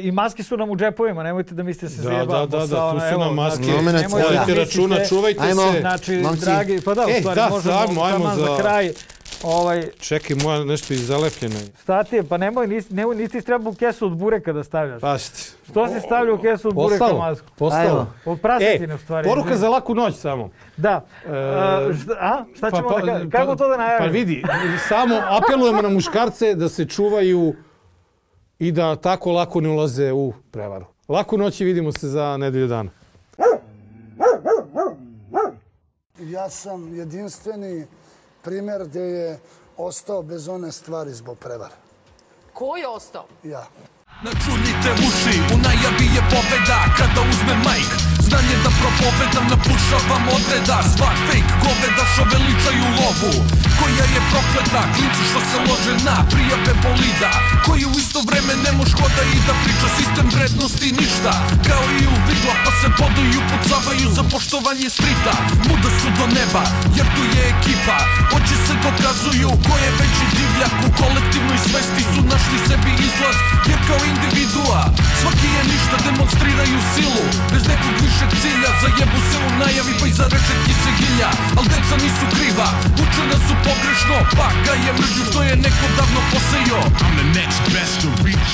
i maske su nam u džepovima, nemojte da mislite se zajebamo. Da, tu su nam maske. Vodite računa, čuvajte se. Znači, dragi, pa da, u stvari možemo taman za kraj. Čekaj, moja nešto izalepljeno. Šta ti je? Pa nisi trebao kesu od bureka da stavljaš. Pašti. Što si stavljao kesu od bureka masku? Postalo. Od prasetine u stvari. Poruka za laku noć samo. Da. Šta ćemo da... Kako to da najavimo? Pa vidi, samo apelujemo na muškarce da se čuvaju i da tako lako ne ulaze u prevaru. Laku noć i vidimo se za nedelju dana. Ja sam jedinstveni primjer gdje je ostao bez one stvari zbog prevare. Ko je ostao? Ja. Načunite uši, u najavi je pobeda kada uzme majk. Znanje da propovedam, napušavam odreda. Sva fake goveda što veličaju lovu, koja je prokleta, klinci što se lože na prijave bolida, koji u isto vreme ne moš hoda i da priča sistem vrednosti ništa. Kao i u vidla pa se bodu i upucavaju za poštovanje strita. Muda su do neba jer tu je ekipa, oči se dokazuju ko je veći divljak. U kolektivnoj svesti su našli sebi izlaz, jer kao individua svaki je ništa, demonstriraju silu bez nekog višeg cilja. Zajebu se u najavi pa iza rečetki se gilja, al deca nisu kriva, uče nas su pogrešno, pa ga je mržnju što je neko davno posejao. I'm the next best to reach